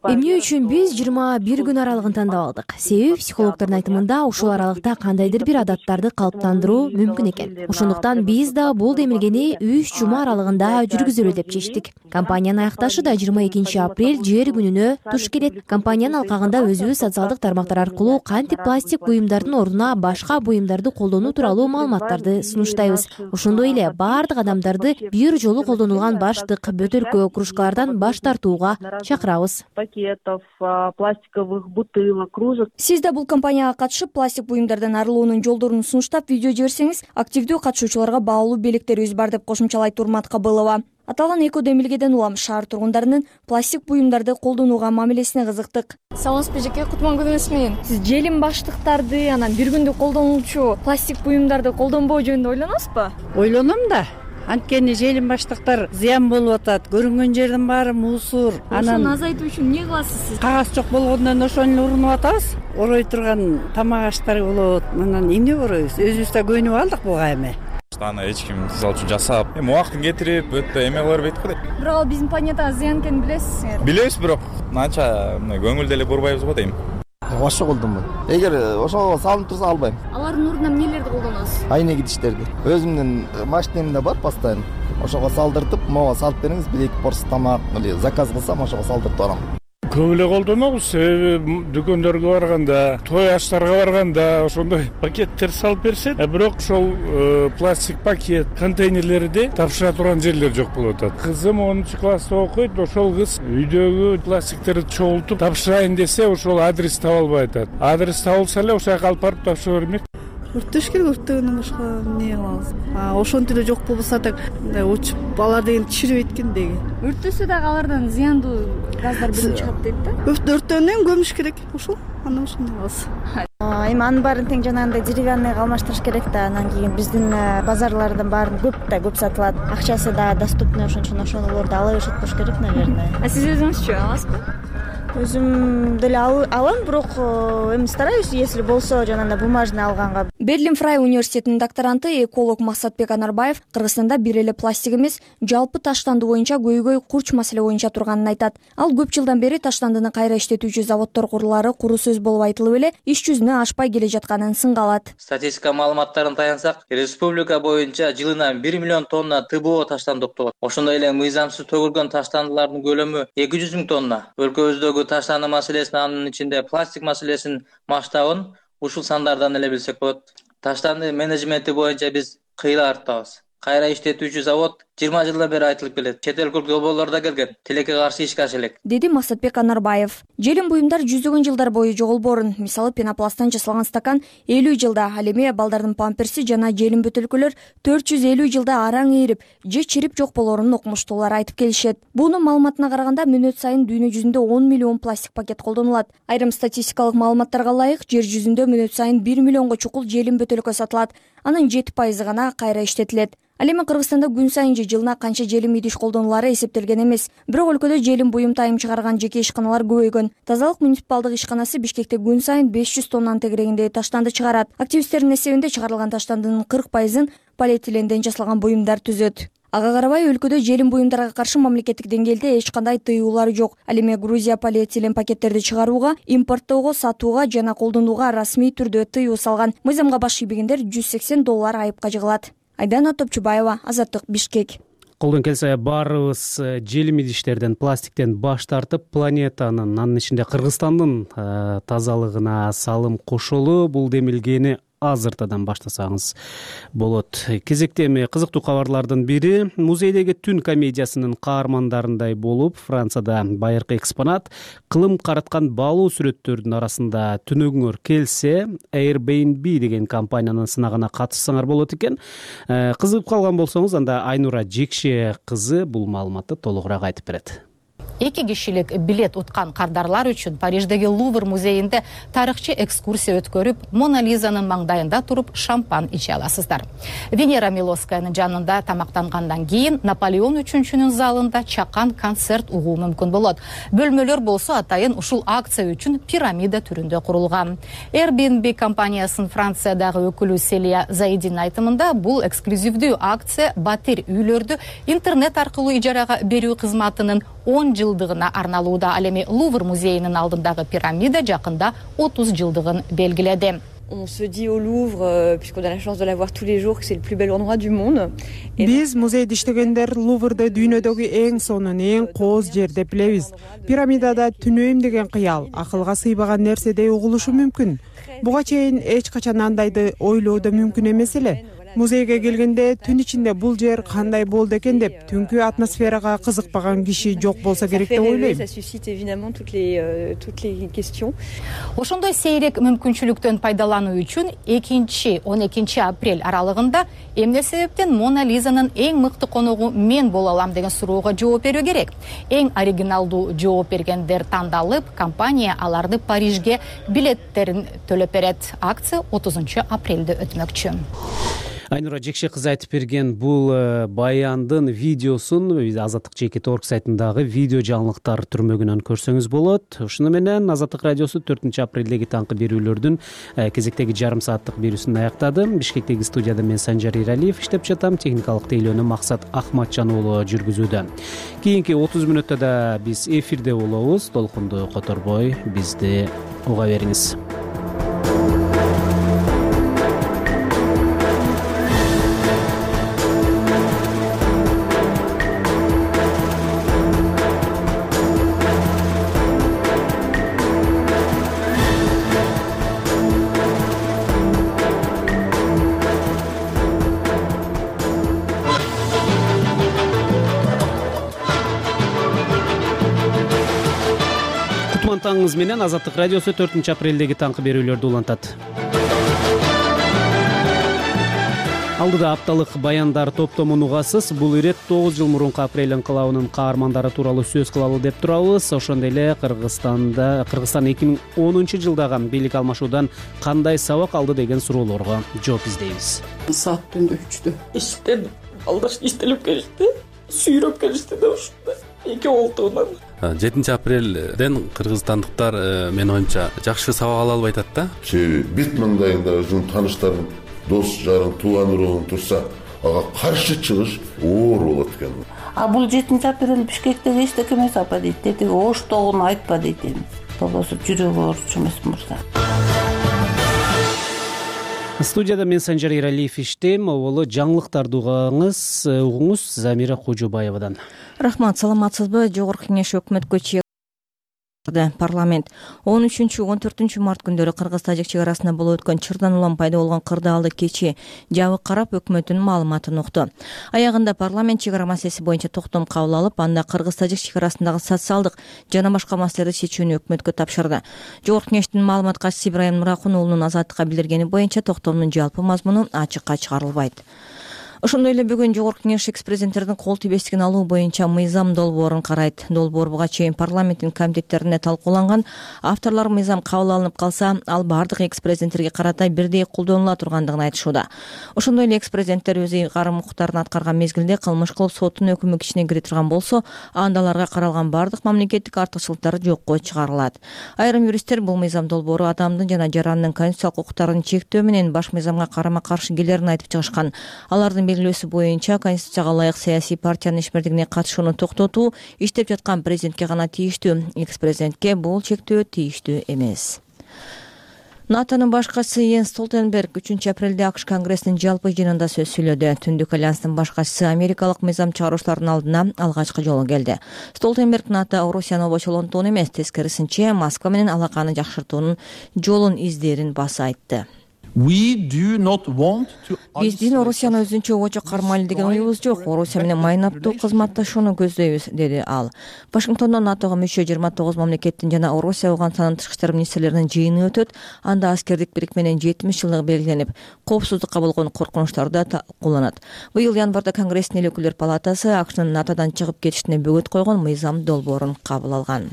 Эмне үчүн биз жыйырма бир күн аралыгын тандап алдык? Себеби психологдордун айтымында ушул аралыкта кандайдыр бир адаттарды калыптандыруу мүмкүн экен. Ошондуктан биз да бул демилгени үч жума аралыгында жүргүзөлү деп чечтик. Компаниянын аякташы да жыйырма экинчи апрель жер күнүнө туш келет. Компаниянын алкагында өзүбүз социалдык тармактар аркылуу кантип пластик буюмдардын ордуна башка буюмдарды колдонуу тууралуу маалыматтарды сунуштайбыз. Ошондой эле баардык адамдарды бир жолу колдонулган баштык, бөтөлкө, кружкалардан баш тартууга чакырабыз. Пакетов, пластиковых бутылок, кружек. Сиз да бул кампанияга катышып, пластик буюмдардан арылуунун жолдорун сунуштап видео жиберсеңиз, активдүү катышуучуларга баалуу белектерибиз бар деп кошумчалайт Урмат Кабылова. Аталган эко демилгеден улам шаар тургундарынын пластик буюмдарды колдонууга мамилесине кызыктык. Саламатсызбы эжеке, кутман күнүңүз менен. Сиз желим баштыктарды, анан бир күндү колдонуучу пластик буюмдарды колдонбоо жөнүндө ойлоносузбу? Ойлоном да. Анткени желим баштыктар зыян болуп атат. Көрүнгөн жердин баары мусор. Ошону азайтуу үчүн эмне кыласыз сиз? Кагаз жок болгондон ошону эле урунуп атабыз. Орой турган тамак аштар болот. Анан эмне корообуз? Өзүбүз да көйнүп алдык буга эми. Аны эч ким сиз үчүн жасап, эми убактын кетирип, өтө эме кылып бербейт го дейт. Бирок ал биздин планетага зыян экенин билесизер. Билебиз, бирок анча көңүл деле бурбайбыз го дейм. Ошо колдонбойм. Эгер ошого салынып турса албайм. Алардын ордуна эмнелерди колдоносуз? Айне кидиштерди. Өзүмдүн машинемде бар постоянно. Ошого салдыртып, мага салып бериңиз, бир эки порс тамак или заказ кылсам, ошого салдыртып барам. Көп эле колдонобуз, себеби дүкөндөргө барганда, той аштарга барганда ошондой пакеттер салып беришет. Бирок ошол пластик пакет, контейнерлерди тапшыра турган жерлер жок болуп атат. Кызым онунчу класста окуйт, ошол кыз үйдөгү пластиктерди чогултуп тапшырайын десе, ошол адрес таба албай атат. Адрес табылса эле ошол жака алып барып тапшыра бермек. Өрттөш керек, өрттөгөндөн башка эмне кылабыз? Ошентип эле жок болбосо так учуп алар деген чирибейт экен деги. Өрттөсө дагы алардан зыяндуу газдар бөлүнүп чыгат дейт да. Өрттөндөн кийин көмүш керек. Ошол андан ошондой кылабыз. Эми анын баарын тең жанагындай деревянныйга алмаштырыш керек да. Анан кийин биздин базарлардын баарын көп да көп сатылат. Акчасы да доступный, ошон үчүн ошолорду ала беришет болуш керек, наверное. А сиз өзүңүзчү аласызбы? Өзүм деле алам, бирок эми стараюсь, если болсо жанагындай бумажный алганга. Берлин Фрай университетинин докторанты эколог Максатбек Анарбаев Кыргызстанда бир эле пластик эмес, жалпы таштанды боюнча көйгөй курч маселе боюнча турганын айтат. Ал көп жылдан бери таштандыны кайра иштетүүчү заводдор курулары куру сөз болуп айтылып эле иш жүзүнө ашпай келе жатканын сынга алат. Статистика маалыматтарын таянсак, республика боюнча жылына бир миллион тонна ТБО таштанды токтолот. Ошондой эле мыйзамсыз төгүлгөн таштандылардын көлөмү эки жүз миң тонна. Өлкөбүздөгү таштанды маселесин, анын ичинде пластик маселесинин масштабын ушул сандардан эле билсек болот. Таштанды менеджменти боюнча биз кыйла арттабыз. Кайра иштетүүчү завод жыйырма жылдан бери айтылып келет. Чет элдик долбоорлор да келген. Тилекке каршы ишке аша элек, деди Максатбек Анарбаев. Желим буюмдар жүздөгөн жылдар бою жоголборун. Мисалы, пенопласттан жасалган стакан элүү жылда, ал эми балдардын памперси жана желим бөтөлкөлөр төрт жүз элүү жылда араң ээрип же чирип жок болорун окумуштуулар айтып келишет. Бунун маалыматына караганда мүнөт сайын дүйнө жүзүндө он миллион пластик пакет колдонулат. Айрым статистикалык маалыматтарга ылайык, жер жүзүндө мүнөт сайын бир миллионго чукул желим бөтөлкө сатылат. Анын жети пайызы гана кайра иштетилет. Ал эми Кыргызстанда күн сайын же жылына канча желим идиш колдонулары эсептелген эмес. Бирок өлкөдө желим буюм тайым чыгарган жеке ишканалар көбөйгөн. Тазалык муниципалдык ишканасы Бишкекте күн сайын беш жүз тоннанын тегерегинде таштанды чыгарат. Активисттердин эсебинде чыгарылган таштандынын кырк пайызын полиэтиленден жасалган буюмдар түзөт. Ага карабай, өлкөдө желим буюмдарга каршы мамлекеттик деңгээлде эч кандай тыюулар жок. Ал эми Грузия полиэтилен пакеттерди чыгарууга, импорттоого, сатууга жана колдонууга расмий түрдө тыюу салган. Мыйзамга баш ийбегендер жүз сексен доллар айыпка жыгылат. Айдана Топчубаева, Азаттык, Бишкек. Колдон келсе баарыбыз желим идиштерден, пластиктен баш тартып, планетанын, анын ичинде Кыргызстандын тазалыгына салым кошолу, бул демилгени азыртадан баштасаңыз болот. Кезекте эми кызыктуу кабарлардын бири, музейдеги түн комедиясынын каармандарындай болуп, Францияда байыркы экспонат кылым караткан баалуу сүрөттөрдүн арасында түнөгүңөр келсе, Airbnb деген компаниянын сынагына катышсаңар болот экен. Кызыгып калган болсоңуз, анда Айнура Жекше кызы бул маалыматты толугураак айтып берет. Эки кишилик билет уткан кардарлар үчүн Париждеги Лувр музейинде тарыхчы экскурсия өткөрүп, Мона Лизанын маңдайында туруп шампан иче аласыздар. Венера Милоскаянын жанында тамактангандан кийин Наполеон үчүнчүнүн залында чакан концерт угуу мүмкүн болот. Бөлмөлөр болсо атайын ушул акция үчүн пирамида түрүндө курулган. Airbnb компаниясынын Франциядагы өкүлү Селия Заидин айтымында, бул эксклюзивдүү акция батир үйлөрдү интернет аркылуу ижарага берүү кызматынын он жылдыгына арналууда. Ал эми Лувр музейинин алдындагы пирамида жакында отуз жылдыгын белгиледи. On se dit au Louvre, puisqu'on a la chance de la voir tous les jours, que c'est le plus bel endroit du monde. Биз музейде иштегендер Луврды дүйнөдөгү эң сонун, эң кооз жер деп билебиз. Пирамидада түнөйм деген кыял акылга сыйбаган нерседей угулушу мүмкүн. Буга чейин эч качан андайды ойлоо да мүмкүн эмес эле. Музейге келгенде түн ичинде бул жер кандай болду экен деп түнкү атмосферага кызыкпаган киши жок болсо керек деп ойлойм. Ça suscite évidemment toutes les euh, toutes les questions. Ошондой сейрек мүмкүнчүлүктөн пайдалануу үчүн экинчи он экинчи апрель аралыгында эмне себептен Мона Лизанын эң мыкты коногу мен боло алам деген суроого жооп берүү керек. Эң оригиналдуу жооп бергендер тандалып, компания аларды Парижге билеттерин төлөп берет. Акция отузунчу апрелде өтмөкчү. Айнура Жекше кызы айтып берген бул баяндын видеосун биз Азаттык жеке торг сайтындагы видео жаңылыктар түрмөгүнөн көрсөңүз болот. Ушуну менен Азаттык радиосу төртүнчү апрелдеги таңкы берүүлөрдүн кезектеги жарым сааттык берүүсүн аяктады. Бишкектеги студияда мен Санжар Иралиев иштеп жатам. Техникалык тейлөөнү Максат Ахматжан уулу жүргүзүүдө. Кийинки отуз мүнөттө да биз эфирде болобуз. Толкунду которбой бизди уга бериңиз. Таңыңыз менен Азаттык радиосу төртүнчү апрелдеги таңкы берүүлөрдү улантат. Алдыда апталык баяндар топтомун угасыз. Бул ирет тогуз жыл мурунку апрель инкылабынын каармандары тууралуу сөз кылалы деп турабыз. Ошондой эле Кыргызстанда Кыргызстан эки миң онунчу жылдагы бийлик алмашуудан кандай сабак алды деген суроолорго жооп издейбиз. Саат түндө үчтө эшиктен алдаш иштелип келишти, сүйрөп келишти да ушундай эки олтуунан. жетинчи апрелден кыргызстандыктар менин оюмча жакшы сабак ала албай атат да. Себеби бет маңдайыңда өзүңүн тааныштарың, дос жарың, тууган уругуң турса, ага каршы чыгыш оор болот экен. А бул жетинчи апрель Бишкектеги эчтеке эмес апа дейт. Дети оштогуну айтпа дейт эми. Болбосо жүрөгү ооруч эмес мырза. Студияда мен Санжар Иралиев иштейм. Могулу жаңылыктарды угаңыз, угуңуз Замира Кожобаевадан. Рахмат, саламатсызбы? Жогорку Кеңеш өкмөткө чыгарды. Парламент он үчүнчү он төртүнчү март күндөрү Кыргыз-Тажик чек арасында болуп өткөн чырдан улам пайда болгон кырдаалды кечи жабык карап өкмөттүн маалыматын укту. Аягында парламент чек ара маселеси боюнча токтом кабыл алып, анда Кыргыз-Тажик чек арасындагы социалдык жана башка маселелерди чечүүнү өкмөткө тапшырды. Жогорку Кеңештин маалымат катчысы Ибрайым Нуракун уулунун Азаттыкка билдиргени боюнча токтомдун жалпы мазмуну ачыкка чыгарылбайт. Ошондой эле бүгүн Жогорку Кеңеш экс-президенттердин кол тийбестигин алуу боюнча мыйзам долбоорун карайт. Долбоор буга чейин парламенттин комитеттеринде талкууланган. Авторлор мыйзам кабыл алынып калса, ал бардык экс-президенттерге карата бирдей колдонула тургандыгын айтышууда. Ошондой эле экс-президенттер өз ыйгарым укуктарын аткарган мезгилде кылмыш кылып соттун өкүмү ичине кире турган болсо, анда аларга каралган бардык мамлекеттик артыкчылыктар жокко чыгарылат. Айрым юристтер бул мыйзам долбоору адамдын жана жарандын конституциялык укуктарын чектөө менен баш мыйзамга карама-каршы келерин айтып чыгышкан. Алардын белгилөөсү боюнча конституцияга ылайык саясий партиянын ишмердигине катышууну токтотуу иштеп жаткан президентке гана тийиштүү. Экс-президентке бул чектөө тийиштүү эмес. НАТОнун башкачысы Йенс Столтенберг үчүнчү апрелде АКШ Конгрессинин жалпы жыйынында сөз сүйлөдү. Түндүк альянстын башкачысы америкалык мыйзам чыгаруучулардын алдына алгачкы жолу келди. Столтенберг НАТО Орусияны обочолонтууну эмес, тескерисинче Москва менен алаканы жакшыртуунун жолун издерин баса айтты. Биздин Орусияны өзүнчө обочо кармайлы деген оюбуз жок. Орусия менен майнаптуу кызматташууну көздөйбүз, деди ал. Вашингтондо НАТОго мүчө жыйырма тогуз мамлекеттин жана Орусия Ауганстандын тышкы иштер министрлеринин жыйыны өтөт. Анда аскердик бирикменин жетимиш жылдыгы белгиленип, коопсуздукка болгон коркунучтар да талкууланат. Быйыл январда Конгресстин эл өкүлдөр палатасы АКШнын НАТОдон чыгып кетишине бөгөт койгон мыйзам долбоорун кабыл алган.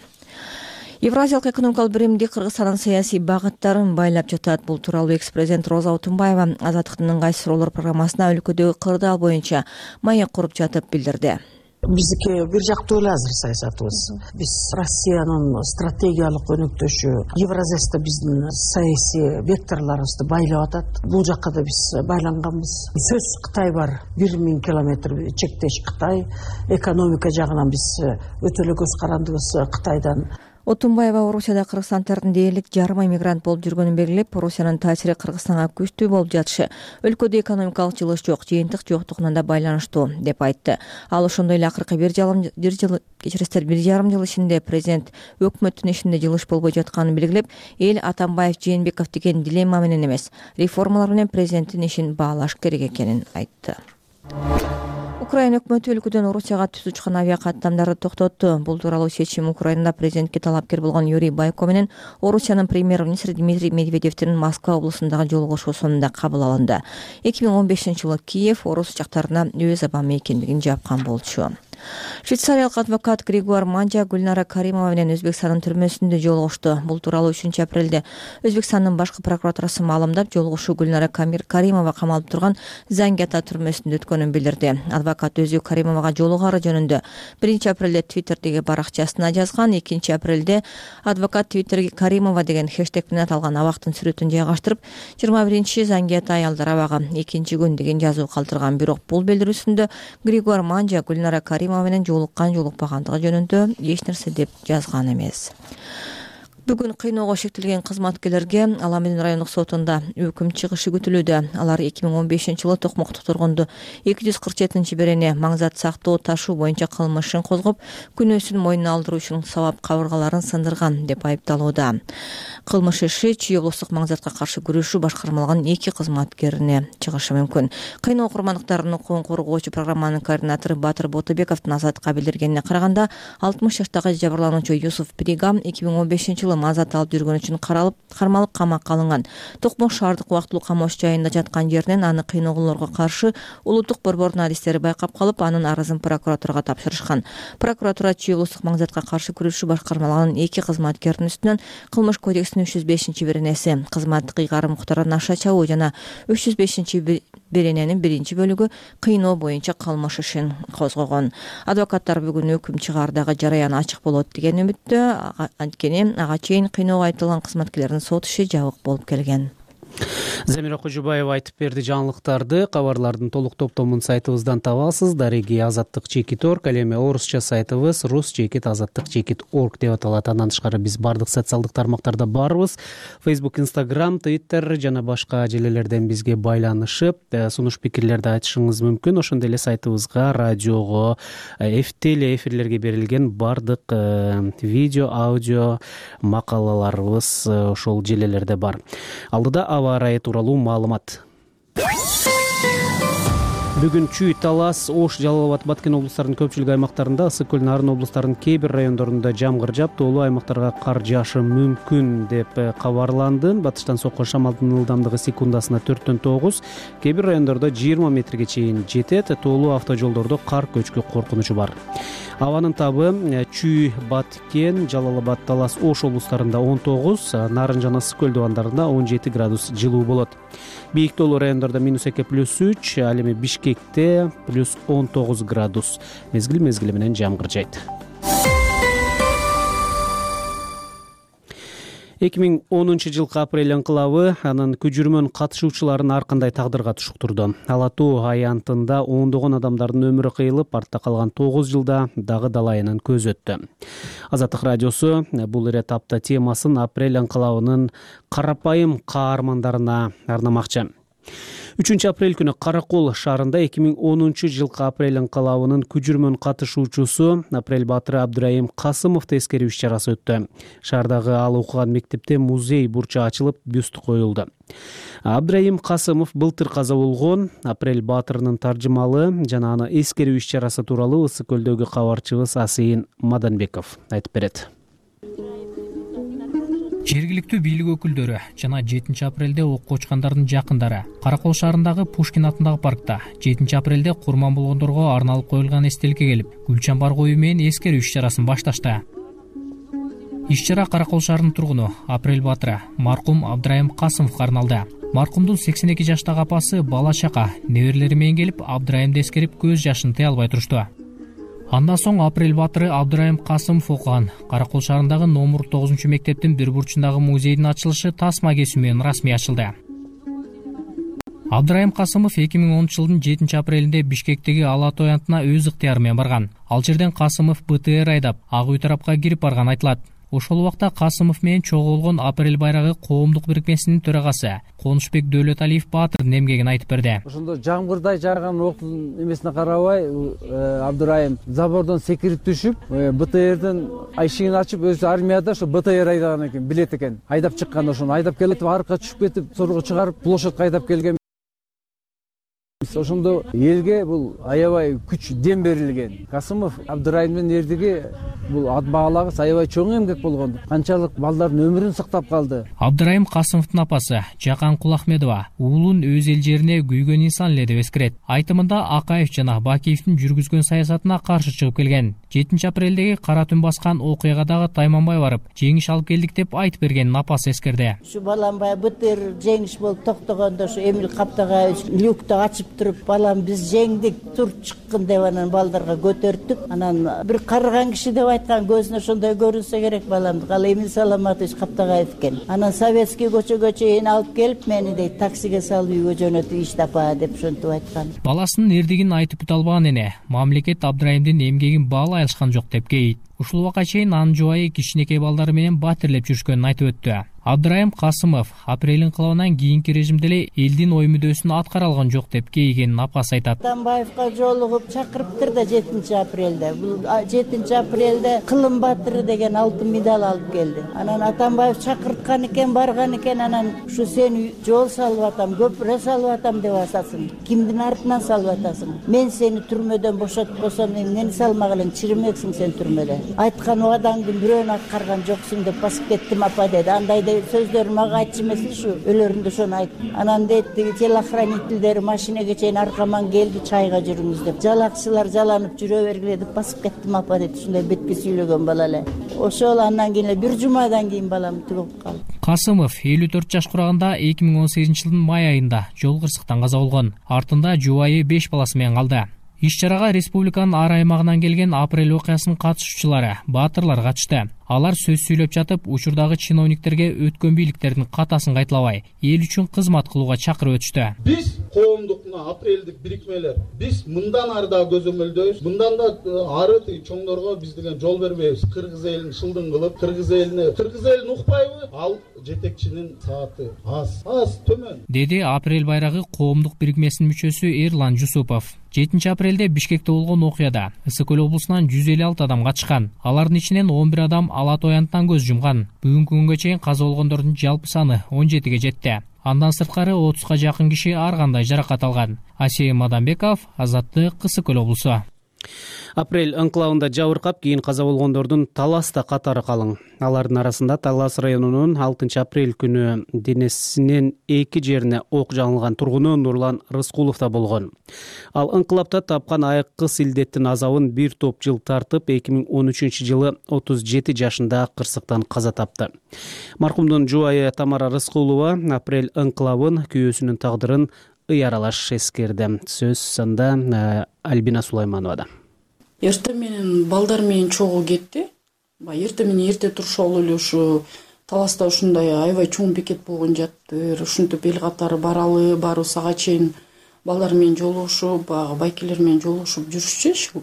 Евразиялык экономикалык биримдик Кыргызстандын саясий багыттарын байлап жатат. Бул тууралуу экс-президент Роза Отунбаева Азаттыктын ыңгайсыз суроолор программасына өлкөдөгү кырдаал боюнча маек куруп жатып билдирди. Биздики бир жактуу эле азыр саясатыбыз. Биз Россиянын стратегиялык өнөктөшү, Евразияда биздин саясий векторлорубузду байлап атат. Бул жакка да биз байланганбыз. Сөз Кытай бар, бир миң километр чектеш Кытай. Экономика жагынан биз өтө эле көз карандыбыз Кытайдан. Отунбаева Орусияда Кыргызстан тарапынан дээрлик жарым ай мигрант болуп жүргөнүн белгилеп, Орусиянын таасири Кыргызстанга күчтүү болуп жатышы өлкөдө экономикалык жылыш жок, жыйынтык жоктугуна да байланыштуу деп айтты. Ал ошондой эле акыркы бир жыл кечиресиздер бир жарым жыл ичинде президент өкмөттүн ишинде жылыш болбой жатканын белгилеп, эл Атамбаев Жээнбеков деген дилемма менен эмес, реформалар менен президенттин ишин баалаш керек экенин айтты. Украина өкмөтү өлкөдөн Орусияга түз учкан авиа каттамдарды токтотту. Бул тууралуу чечим Украинада президентке талапкер болгон Юрий Бойко менен Орусиянын премьер-министри Дмитрий Медведевдин Москва облусундагы жолугушуу сонунда кабыл алынды. эки миң он бешинчи жылы Киев орус жактарына өз абамы экендигин жапкан болчу. Швейцариялык адвокат Григуар Манжа Гүлнара Каримова менен Өзбекстандын түрмөсүндө жолугушту. Бул тууралуу үчүнчү апрелде Өзбекстандын башкы прокуратурасы маалымдап, жолугушуу Гүлнара Каримова камалып турган Занги ата түрмөсүндө өткөнүн билдирди. Адвокат өзү Каримовага жолугары жөнүндө биринчи апрелде Твиттердеги баракчасына жазган. экинчи апрелде адвокат Твиттерге Каримова деген хэштег менен аталган абактын сүрөтүн жайгаштырып, жыйырма биринчи Занги ата аялдар абагы экинчи күн деген жазуу калтырган. Бирок бул билдирүүсүндө Григуар Манжа Гүлнара Каримова менен жолуккан жолукпагандыгы жөнүндө эч нерсе деп жазган эмес. Бүгүн кыйноого шектелген кызматкерлерге Аламедин райондук сотунда өкүм чыгышы күтүлүүдө. Алар эки миң он бешинчи жылы Токмокто тургунду эки жүз кырк жетинчи берене маңзат сактоо ташуу боюнча кылмышын козгоп, күнөөсүн мойнуна алдыруу үчүн сабап кабыргаларын сындырган деп айыпталууда. Кылмыш иши Чүй облустук маңзатка каршы күрөшүү башкармалыгынын эки кызматкерине чыгышы мүмкүн. Кыйноо курмандыктарынын укугун коргоочу программанын координатору Батыр Ботобековдун Азатка билдиргенине караганда, алтымыш жаштагы жабырлануучу Юсуф Пригам эки миң он бешинчи жылы мазат алып жүргөн үчүн каралып, кармалып камакка алынган. Токмок шаардык убактылуу камош жайында жаткан жеринен аны кыйноолорго каршы улуттук борбордун адистери байкап калып, анын арызын прокуратурага тапшырышкан. Прокуратура Чүй облустук маңзатка каршы күрөшүү башкармалыгынын эки кызматкеринин үстүнөн кылмыш кодексинин үч жүз бешинчи беренеси кызматтык ыйгарым муктардан аша чабуу жана үч жүз бешинчи берененин биринчи бөлүгү кыйноо боюнча кылмыш ишин козгогон. Адвокаттар бүгүн өкүм чыгаардагы жараян ачык болот деген үмүттө. Анткени ага чейин кыйноого айтылган кызматкерлердин сот иши жабык болуп келген. Замира Кожубаева айтып берди жаңылыктарды. Кабарлардын толук топтомун сайтыбыздан табасыз. Дареги азаттык чекит орг, ал эми орусча сайтыбыз рус чекит азаттык чекит орг деп аталат. Андан тышкары биз бардык социалдык тармактарда барбыз. Facebook, Instagram, Twitter жана башка желелерден бизге байланышып, сунуш пикирлерди айтышыңыз мүмкүн. Ошондой эле сайтыбызга, радиого, теле эфирлерге берилген бардык видео, аудио макалаларыбыз ошол желелерде бар. Алдыда аба ырайы тууралуу маалымат. Бүгүн Чүй, Талас, Ош, Жалал Абад, Баткен облустарынын көпчүлүк аймактарында, Ысык көл, Нарын облустарынын кээ бир райондорунда жамгыр жаап, тоолуу аймактарга кар жаашы мүмкүн деп кабарланды. Батыштан соккон шамалдын ылдамдыгы секундасына төрттөн тогуз, кээ бир райондордо жыйырма метрге чейин жетет. Тоолуу автожолдордо кар көчкү коркунучу бар. Абанын табы Чүй, Баткен, Жалал Абад, Талас, Ош облустарында он тогуз, Нарын жана Ысык көл дубандарында он жети градус жылуу болот. Бийик тоолуу райондордо минус эки плюс үч, ал эми Бишкекте плюс он тогуз градус. Мезгил мезгили менен жамгыр жайт. эки миң онунчу жылкы апрель ыңкылабы анын күжүрмөн катышуучуларын ар кандай тагдырга туштурду. Ала Тоо аянтында ондогон адамдардын өмүрү кыйылып, артта калган тогуз жылда дагы далайынан көз өттү. Азаттык радиосу бул этапта темасын апрель ыңкылабынын карапайым каармандарына арнамакчы. үчүнчү апрель күнү Каракол шаарында эки миң онунчу жылкы апрель ыңкылабынын күжүрмөн катышуучусу Апрель баатыры Абдырайым Касымовду эскерүү иш-чарасы өттү. Шаардагы ал окуган мектепте музей бурчу ачылып, бюст коюлду. Абдырайым Касымов былтыр каза болгон. Апрель баатырынын таржымалы жана аны эскерүү иш-чарасы тууралуу Ысык көлдөгү кабарчыбыз Асыйын Маданбеков айтып берет. Жергиликтүү бийлик өкүлдөрү жана жетинчи апрелде окко учкандардын жакындары Каракол шаарындагы Пушкин атындагы паркта жетинчи апрелде курман болгондорго арналып коюлган эстеликке келип, гүл чамбар коюу менен эскерүү иш-чарасын башташты. Иш-чара Каракол шаарынын тургуну Апрель баатыры маркум Абдырайым Касымовго арналды. Маркумдун сексен эки жаштагы апасы бала чака неберелери менен келип, Абдырайымды эскерип көз жашын тыя албай турушту. Андан соң Апрель баатыры Абдырайым Касымов окуган Каракол шаарындагы номер тогузунчу мектептин бир бурчундагы музейдин ачылышы тасма кесүү менен расмий ачылды. Абдырайым Касымов эки миң онунчу жылдын жетинчи апрелинде Бишкектеги Ала Тоо аянтына өз ыктыяры менен барган. Ал жерден Касымов БТР айдап, Ак үй тарапка кирип барган айтылат. Ошол убакта Касымов менен чогулгон Апрель байрагы коомдук бирикмесинин төрагасы Конушбек Дөөлөталиев Баатырдын эмгегин айтып берди. Ошондо жамгырдай жааган октун эмесине карабай Абдырайым забордон секирип түшүп, БТРдин айшигин ачып, өзү армияда ошо БТР айдаган экен, билет экен. Айдап чыккан, ошону айдап келип, аркага түшүп кетип, сорго чыгарып, площадька айдап келген. Ошондо элге бул аябай күч дем берилген. Касымов Абдырайымдын эрдиги бул ат баалагыс аябай чоң эмгек болгон. Канчалык балдардын өмүрүн сактап калды. Абдырайым Касымовдун апасы Жакан Кулахмедова уулун өз эл жерине күйгөн инсан эле деп эскерет. Айтымында Акаев жана Бакиевдин жүргүзгөн саясатына каршы чыгып келген. жетинчи апрелдеги кара түн баскан окуягадагы тайманбай барып, жеңиш алып келдик деп айтып берген апасы эскерди. Ушу балам баягы БТР жеңиш болуп токтогондо ушу Эмил Каптагай люкту ачып туруп, балам биз жеңдик, тур чыккын деп анан балдарга көтөртүп, анан бир карыган киши деп айткан, көзүнө ошондой көрүнсө керек баламды. Кала Эмил Саламатович Каптагаев экен. Анан Советский көчөгө чейин алып келип, мени дейт таксиге салып үйгө жөнөтүп, иш тапа деп ошентип айткан. Баласынын эрдигин айтып бүтө албаган эне мамлекет Абдырайымдын эмгегин баалай алышкан жок деп кейит. Ушул убакка чейин анын жубайы кичинекей балдары менен батирлеп жүрүшкөнүн айтып өттү. Абдырайым Касымов Апрель инкылабынан кийинки режимде эле элдин ой мүдөөсүн аткара алган жок деп кейигенин апасы айтат. Атамбаевга жолугуп чакырыптыр да жетинчи апрелде. Бул жетинчи апрелде Кылым батыры деген алтын медаль алып келди. Анан Атамбаев чакырткан экен, барган экен, анан ушу сени жол салып атам, көпүрө салып атам деп атасың. Кимдин артынан салып атасың? Мен сени түрмөдөн бошотуп койсом, эмнени салмак элең, чиримексиң сен түрмөдө. Айткан убадаңдын бирөөнү аткарган жоксуң деп басып кеттим апа деди. Андай сөздөрү мага айтчу эмес ушу, өлөрүндө ошону айт. Анан дейт, телохранительдери машинеге чейин аркаман келди, чайга жүрүңүз деп. Жалакчылар жаланып жүрө бергиле деп басып кеттим апа дейт. Ушундай бетке сүйлөгөн бала эле. Ошол андан кийин эле бир жумадан кийин балам түгөп калды. Касымов элүү төрт жаш кураганда эки миң он сегизинчи жылдын май айында жол кырсыктан каза болгон. Артында жубайы беш баласы менен калды. Иш-чарага республиканын ар аймагынан келген Апрель окуясынын катышуучулары, баатырлар катышты. Алар сөз сүйлөп жатып, учурдагы чиновниктерге өткөн бийликтердин катасын кайталабай, эл үчүн кызмат кылууга чакырып өтүштү. Биз коомдук мына апрелдик бирикмелер, биз мындан ары да көзөмөлдөйбүз. Мындан да ары чоңдорго биз деген жол бербейбиз. Кыргыз элин шылдың кылып, кыргыз элине, кыргыз элин укпайбы? Ал жетекчинин сааты аз, аз төмөн. Деди Апрель байрагы коомдук бирикмесинин мүчөсү Эрлан Жусупов. жетинчи апрелде Бишкекте болгон окуяда Ысык Көл облусунан жүз элүү алты адам катышкан. Алардын ичинен он бир адам ала тоянттан көз жумган. Бүгүнкү күнгө чейин каза болгондордун жалпы саны он жетиге жетти. Андан сырткары отузга жакын киши ар кандай жаракат алган. Асей Мадамбеков, Азаттык, Ысык Көл облусу. Апрель анклавында жабыркап, кийин каза болгондордун Таласта катары калың. Алардын арасында Талас районунун алтынчы апрель күнү денесинен эки жерине ок жаңылган тургуну Нурлан Рыскулов да болгон. Ал анклавда тапкан айыккыс илдеттин азабын бир топ жыл тартып, эки миң он үчүнчү жылы отуз жети жашында кырсыктан каза тапты. Маркумдун жубайы Тамара Рыскулова Апрель анклавын, күйөөсүнүн тагдырын ый аралаш эскерди. Сөз санда Альбина Сулаймановада. Эртең менен балдар менен чогуу кетти. Эртең менен эрте турушалы эле ушу Таласта ушундай аябай чоң бекет болгон жаттыр. Ушинтип эл катары баралы, баруу сага чейин балдар менен жолугушуп, баягы байкелер менен жолугушуп жүрүшчү.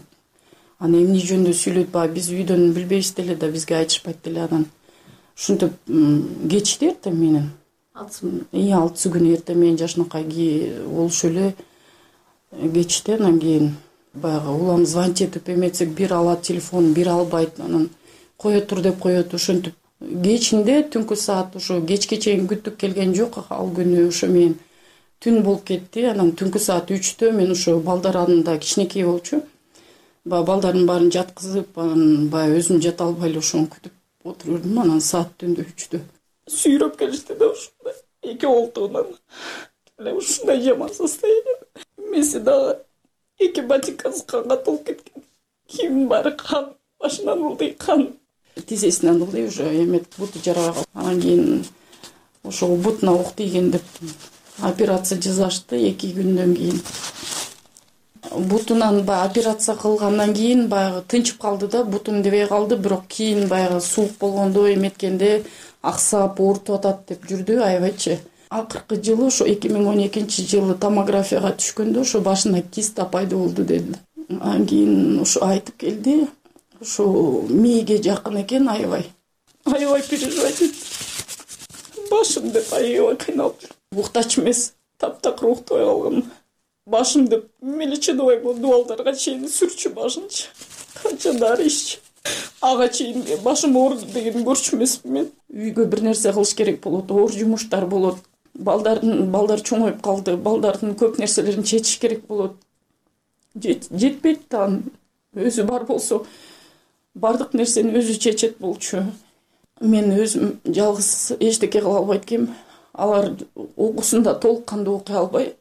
Аны эмне жөнүндө сүйлөйт, баягы биз үйдөн билбейбиз деле да, бизге айтышпайт деле анан. Ушинтип кечти эртең менен. эки алтысы күнү эртең менен жашынакай болушу эле кечти, анан кийин баягы улам звонить этип эметсек, бир алат телефон, бир албайт, анан кое тур деп коет. Ошентип кечинде түнкү саат ошо кечке чейин күттүк келген жок. Ал күнү ошо мен түн болуп кетти. Анан түнкү саат үчтө мен ошо балдар анында кичинекей болчу. Баягы балдардын баарын жаткызып, анан баягы өзүм жата албай эле ошону күтүп отурдум. Анан саат түндө үчтө сүйрөп келишти да ушундай эки колтугунан. Эле ушундай жаман состояние. Меси дагы эки ботинкасы канга толуп кеткен. Кийимин баары кан, башынан ылдый кан. Тизесинен ылдый уже эмет буту жараган. Анан кийин ошол бутуна ок тийген деп операция жасашты эки күндөн кийин. Бутунан баягы операция кылгандан кийин баягы тынчып калды да, бутун дебей калды, бирок кийин баягы суук болгондо эметкенде аксап, оорутуп атат деп жүрдү аябайчы. Акыркы жылы ошо эки миң он экинчи жылы томографияга түшкөндө ошо башына киста пайда болду деди. Анан кийин ошо айтып келди, ошо мээге жакын экен аябай. аябай переживать эттим. Башым деп аябай кыйналып жүрдүм. Уктач эмес, таптакыр уктабай калгам. Башым деп меличе дубай дубалдарга чейин сүрчү башынчы. Канча дары иччи. Ага чейин башым ооруду деген көрчү эмесмин мен. Үйгө бир нерсе кылыш керек болот, оор жумуштар болот. Балдардын балдар чоңоюп калды, балдардын көп нерселерин чечиш керек болот. Жетпейт да, өзү бар болсо бардык нерсени өзү чечет болчу. Мен өзүм жалгыз эчтеке кыла албайт экенмин. Алар окуусунда толук кандуу окуй албай,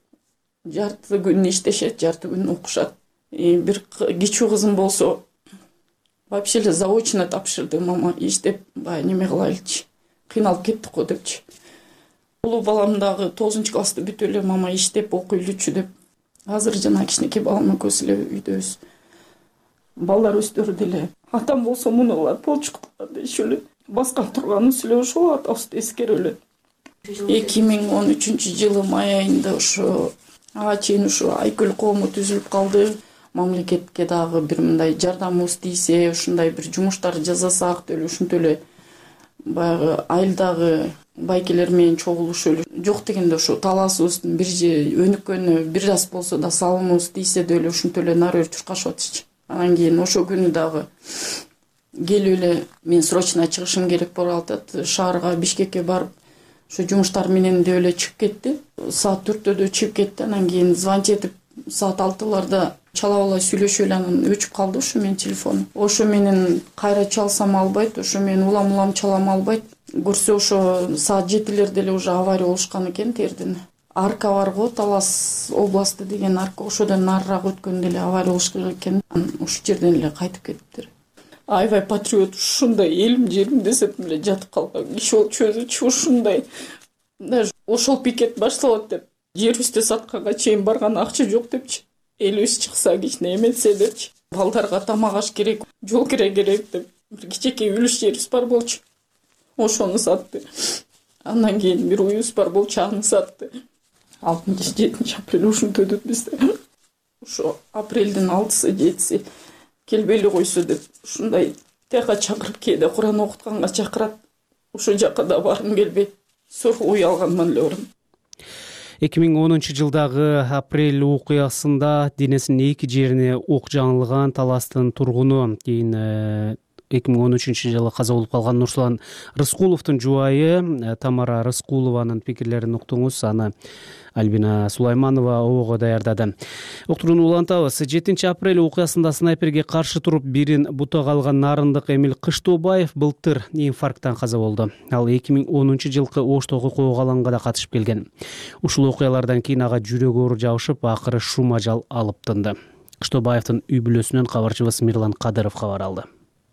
жарты күн иштешет, жарты күн окушат. Бир кичүү кызым болсо вообще эле заочно тапшырды. Мама иштеп, баягы неме кылайлычы, кыйналып кеттик го депчи. Улуу балам дагы тогузунчу классты бүтүп эле мама иштеп окуйлучу деп. Азыр жана кичинекей балам экөөбүз эле үйдөбүз. Балдар өздөрү деле атам болсо муну кылат, болчуктар дешип эле. Баскан турганыбыз эле ошол атабызды эскерип эле. эки миң он үчүнчү жылы май айында ошо ага чейин ушу Айкөл коому түзүлүп калды. Мамлекетке дагы бир мындай жардамыбыз тийсе, ушундай бир жумуштар жасасак деле, ушинтип эле баягы айылдагы байкелер менен чогулушуп эле жок дегенде ошо талаасыбыздын бир же өнүккөнү бир аз болсо да салымыбыз тийсе деле ушинтип эле нары өтүп чуркашып атышчы. Анан кийин ошо күнү дагы келип эле мен срочно чыгышым керек болуп атат. Шаарга, Бишкекке барып ошо жумуштар менен деп эле чыгып кетти. Саат төрттөдө чыгып кетти. Анан кийин звонить этип саат алтыларда чалап алай сүйлөшүп эле анан өчүп калды ошо менин телефонум. Ошо менен кайра чалсам албайт, ошо менен улам улам чалам албайт. Көрсө ошо саат жетилерде эле уже авария болушкан экен тердин. Арка бар го, Талас областы деген арка, ошодон нарыраак өткөндө эле авария болушкан экен. Ошол жерден эле кайтып кетиптир. Аябай патриот, ушундай элим жерим десем эле жатып калган киши болчу өзүчү ушундай. Даже ошол пикет башталат деп жерибизди сатканга чейин барган акча жок депчи. Элибиз чыкса кичине эметсе депчи. Балдарга тамак аш керек, жол кире керек деп бир кичинекей үлүш жерибиз бар болчу. Ошону сатты. Андан кийин бир уюбуз бар болчу, аны сатты. алтынчы жетинчи апрель ушинтип өтөт бизде. Ошо апрелдин алтысы жетиси келбей эле койсо деп ушундай тияка чакырып, кээде Куран окутканга чакырат. Ошол жака да баргым келбейт. Сорго уялганман эле барам. эки миң онунчу жылдагы апрель окуясында денесинин эки жерине ок жаңылган Таластын тургуну, кийин эки миң он үчүнчү жылы каза болуп калган Нурсулан Рыскуловдун жубайы Тамара Рыскулованын пикирлерин уктуңуз. Аны Альбина Сулайманова ого даярдады. Уктурууну улантабыз. жетинчи апрель окуясында снайперге каршы туруп бирин бутага алган Нарындык Эмил Кыштобаев былтыр инфаркттан каза болду. Ал эки миң онунчу жылкы Оштогу коогаланга да катышып келген. Ушул окуялардан кийин ага жүрөк оору жабышып, акыры шум ажал алып тынды. Кыштобаевдин үй бүлөсүнөн кабарчыбыз Мирлан Кадыров кабар алды.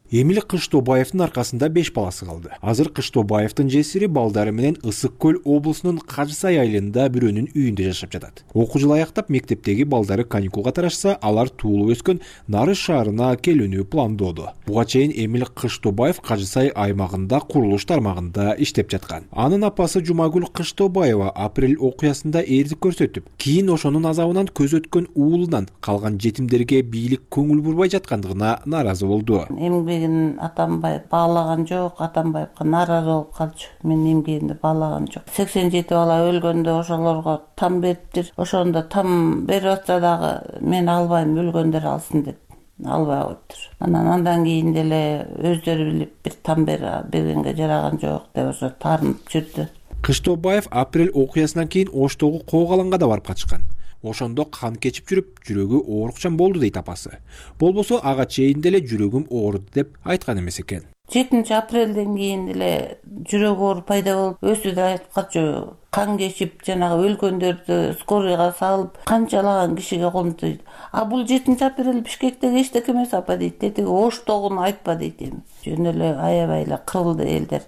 Эмил Кыштобаевдин аркасында беш баласы калды. Азыр Кыштобаевдин жесири балдары менен Ысык Көл облусунун Кажысай айылында бирөөнүн үйүндө жашап жатат. Окуу жылы аяктап мектептеги балдары каникулга тарашса, алар туулуп өскөн Нарыш шаарына келүүнү пландоодо. Буга чейин Эмил Кыштобаев Кажысай аймагында курулуш тармагында иштеп жаткан. Анын апасы Жумагүл Кыштобаева апрель окуясында эрдик көрсөтүп, кийин ошонун азабынан көз өткөн уулунан калган жетимдерге бийлик көңүл бурбай жаткандыгына нааразы болду. Атамбаев баалаган жок, Атамбаевга нааразы болуп калчу. Мен эмгегимди баалаган жок. сексен жети бала өлгөндө ошолорго там бериптир. Ошондо там берип атса дагы мен албайм, өлгөндөр алсын деп албай коюптур. Анан андан кийин деле өздөрү билип бир там бергенге жараган жок деп ошо таарынып жүрдү. Кыштобаев апрель окуясынан кийин Оштогу коогаланга да барып катышкан. Ошондо кан кечип жүрүп, жүрөгү оорукчан болду дейт апасы. Болбосо ага чейин деле жүрөгүм ооруду деп айткан эмес экен. жетинчи апрелден кийин деле жүрөк оору пайда болуп, өзү да айтып калчу. Кан кечип, жанагы өлгөндөрдү скорыйга салып, канчалаган кишиге колунуп дейт. А бул жетинчи апрель Бишкектеги эчтеке эмес апа дейт. Тетиги Оштогуну айтпа дейт эми. Жөн эле аябай эле кырылды элдер.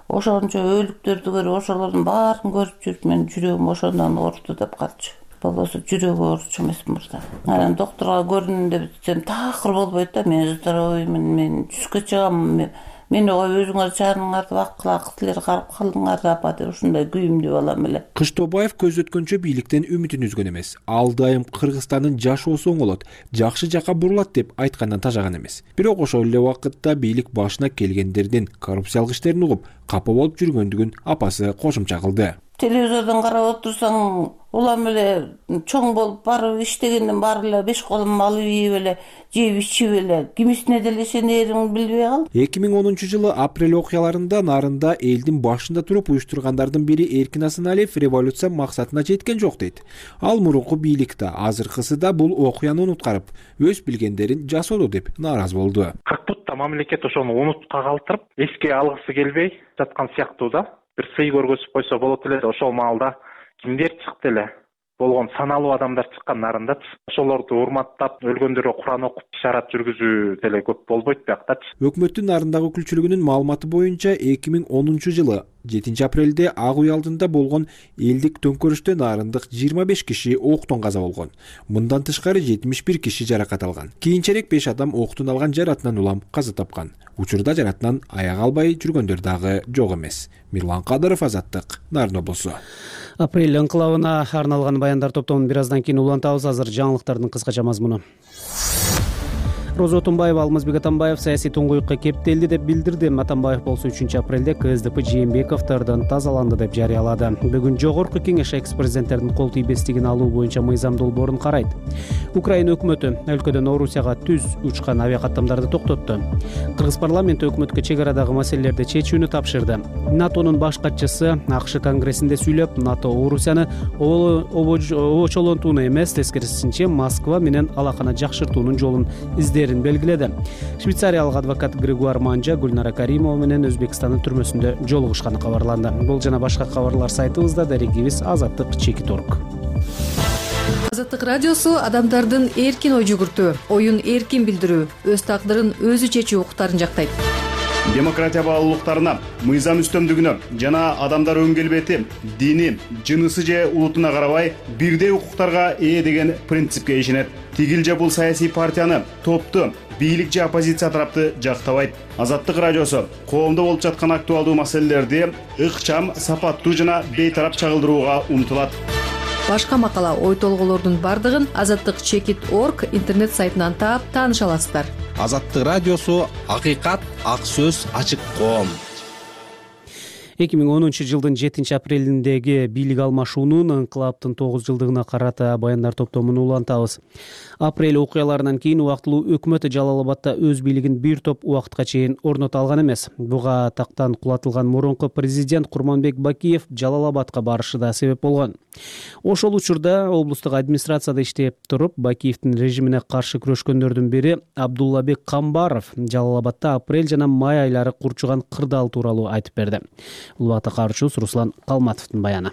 Ошончо өлүктөрдү көрүп, ошолордун баарын көрүп жүрүп, мен жүрөгүм ошондон ооруду деп калчу. Болбосо жүрөгү ооручу эмес мурда. Анан доктурга көрүнүн деп десем, такыр болбойт да. Мен здоровыймын, мен жүзгө чыгам, мени коюп өзүңөр жаныңарды вакылак силер карап калдыңар апа деп ушундай күйүмдүү балам эле. Кыштобаев көздөткөнчө бийликтен үмүтүн үзгөн эмес. Ал дайым Кыргызстандын жашоосу оңолот, жакшы жакка бурулат деп айткандан тажаган эмес. Бирок ошол эле убакытта бийлик башына келгендердин коррупциялык иштерин угуп, капа болуп жүргөндүгүн апасы кошумча кылды. Телевизордон карап отурсаң, улам эле чоң болуп барып иштегенден баары эле беш колум алып ийип эле, жеп ичип эле, кимисине деле ишенеримди билбей калдым. эки миң онунчу жылы апрель окуяларында Нарында элдин башында туруп уюштургандардын бири Эркин Асаналиев революция максатына жеткен жок дейт. Ал мурунку бийликте, азыркысы да бул окуяны унуткарып, өз билгендерин жасоодо деп нааразы болду. Какбутта мамлекет ошону унутка калтырып, эске алгысы келбей жаткан сыяктуу да. Бир сый көргөзүп койсо болот эле. Ошол маалда кимдер чыкты эле? Болгон саналуу адамдар чыккан Нарындачы. Ошолорду урматтап, өлгөндөргө Куран окуп, ишарат жүргүзүү деле көп болбойт биякчы. Өкмөттүн Нарындагы өкүлчүлүгүнүн маалыматы боюнча эки миң онунчу жылы жетинчи апрелде Ак Үй алдында болгон элдик төңкөрүштө нарындык жыйырма беш киши октон каза болгон. Мындан тышкары жетимиш бир киши жаракат алган. Кийинчерээк беш адам октун алган жаратынан улам каза тапкан. Учурда жаратынан аяк албай жүргөндөр дагы жок эмес. Мирлан Кадыров, Азаттык, Нарын облусу. Апрель ыңкылабына арналган баяндар топтомун бир аздан кийин улантабыз. Азыр жаңылыктардын кыскача мазмуну. Роза Отунбаева Алмазбек Атамбаев саясий туңгуюкка кептелди деп билдирди. Атамбаев болсо үчүнчү апрелде КСДП Жээнбековдордон тазаланды деп жарыялады. Бүгүн жогорку кеңеш экс-президенттердин кол тийбестигин алуу боюнча мыйзам долбоорун карайт. Украина өкмөтү өлкөдөн Орусияга түз учкан авиакаттамдарды токтотту. Кыргыз парламенти өкмөткө чек арадагы маселелерди чечүүнү тапшырды. НАТОнун баш катчысы АКШ конгрессинде сүйлөп, НАТО Орусияны обочолонтууну эмес, тескерисинче Москва менен алаканы жакшыртуунун жолун изде белгиледи. Швейцариялык адвокат Григуар Манжа Гүлнара Каримова менен Өзбекстандын түрмөсүндө жолугушканы кабарланды. Бул жана башка кабарлар сайтыбызда, дарегибиз азаттык чекит точка орг. Азаттык радиосу адамдардын эркин ой жүгүртүү, оюн эркин билдирүү, өз тагдырын өзү чечүү укуктарын жактайт. Демократия баалуулуктарына, мыйзам үстөмдүгүнө жана адамдар өн келбети, дини, жынысы же улутуна карабай бирдей укуктарга ээ деген принципке ишенет. Тигил же бул саясий партияны, топту, бийлик же оппозиция тарапты жактабайт. Азаттык радиосу коомдо болуп жаткан актуалдуу маселелерди ыкчам, сапаттуу жана бейтарап чагылдырууга умтулат. Башка макала, ой толгоолордун бардыгын азаттык чекит точка орг интернет сайтынан таап тааныша аласыздар. Азаттык радиосу акыйкат, ак сөз, ачык коом. эки миң онунчу жылдын жетинчи апрелиндеги бийлик алмашуунун ыңкылаптын тогуз жылдыгына карата баяндар топтомун улантабыз. Апрель окуяларынан кийин убактылуу өкмөт Жалал Абадта өз бийлигин бир топ убакытка чейин орното алган эмес. Буга тактан кулатылган мурунку президент Курманбек Бакиев Жалал Абадка барышы да себеп болгон. Ошол учурда облустук администрацияда иштеп туруп, Бакиевдин режимине каршы күрөшкөндөрдүн бири Абдуллабек Камбаров Жалал Абадта апрель жана май айлары курчуган кырдаал тууралуу айтып берди. Улубакта каарчубуз Руслан Калматовдун баяны.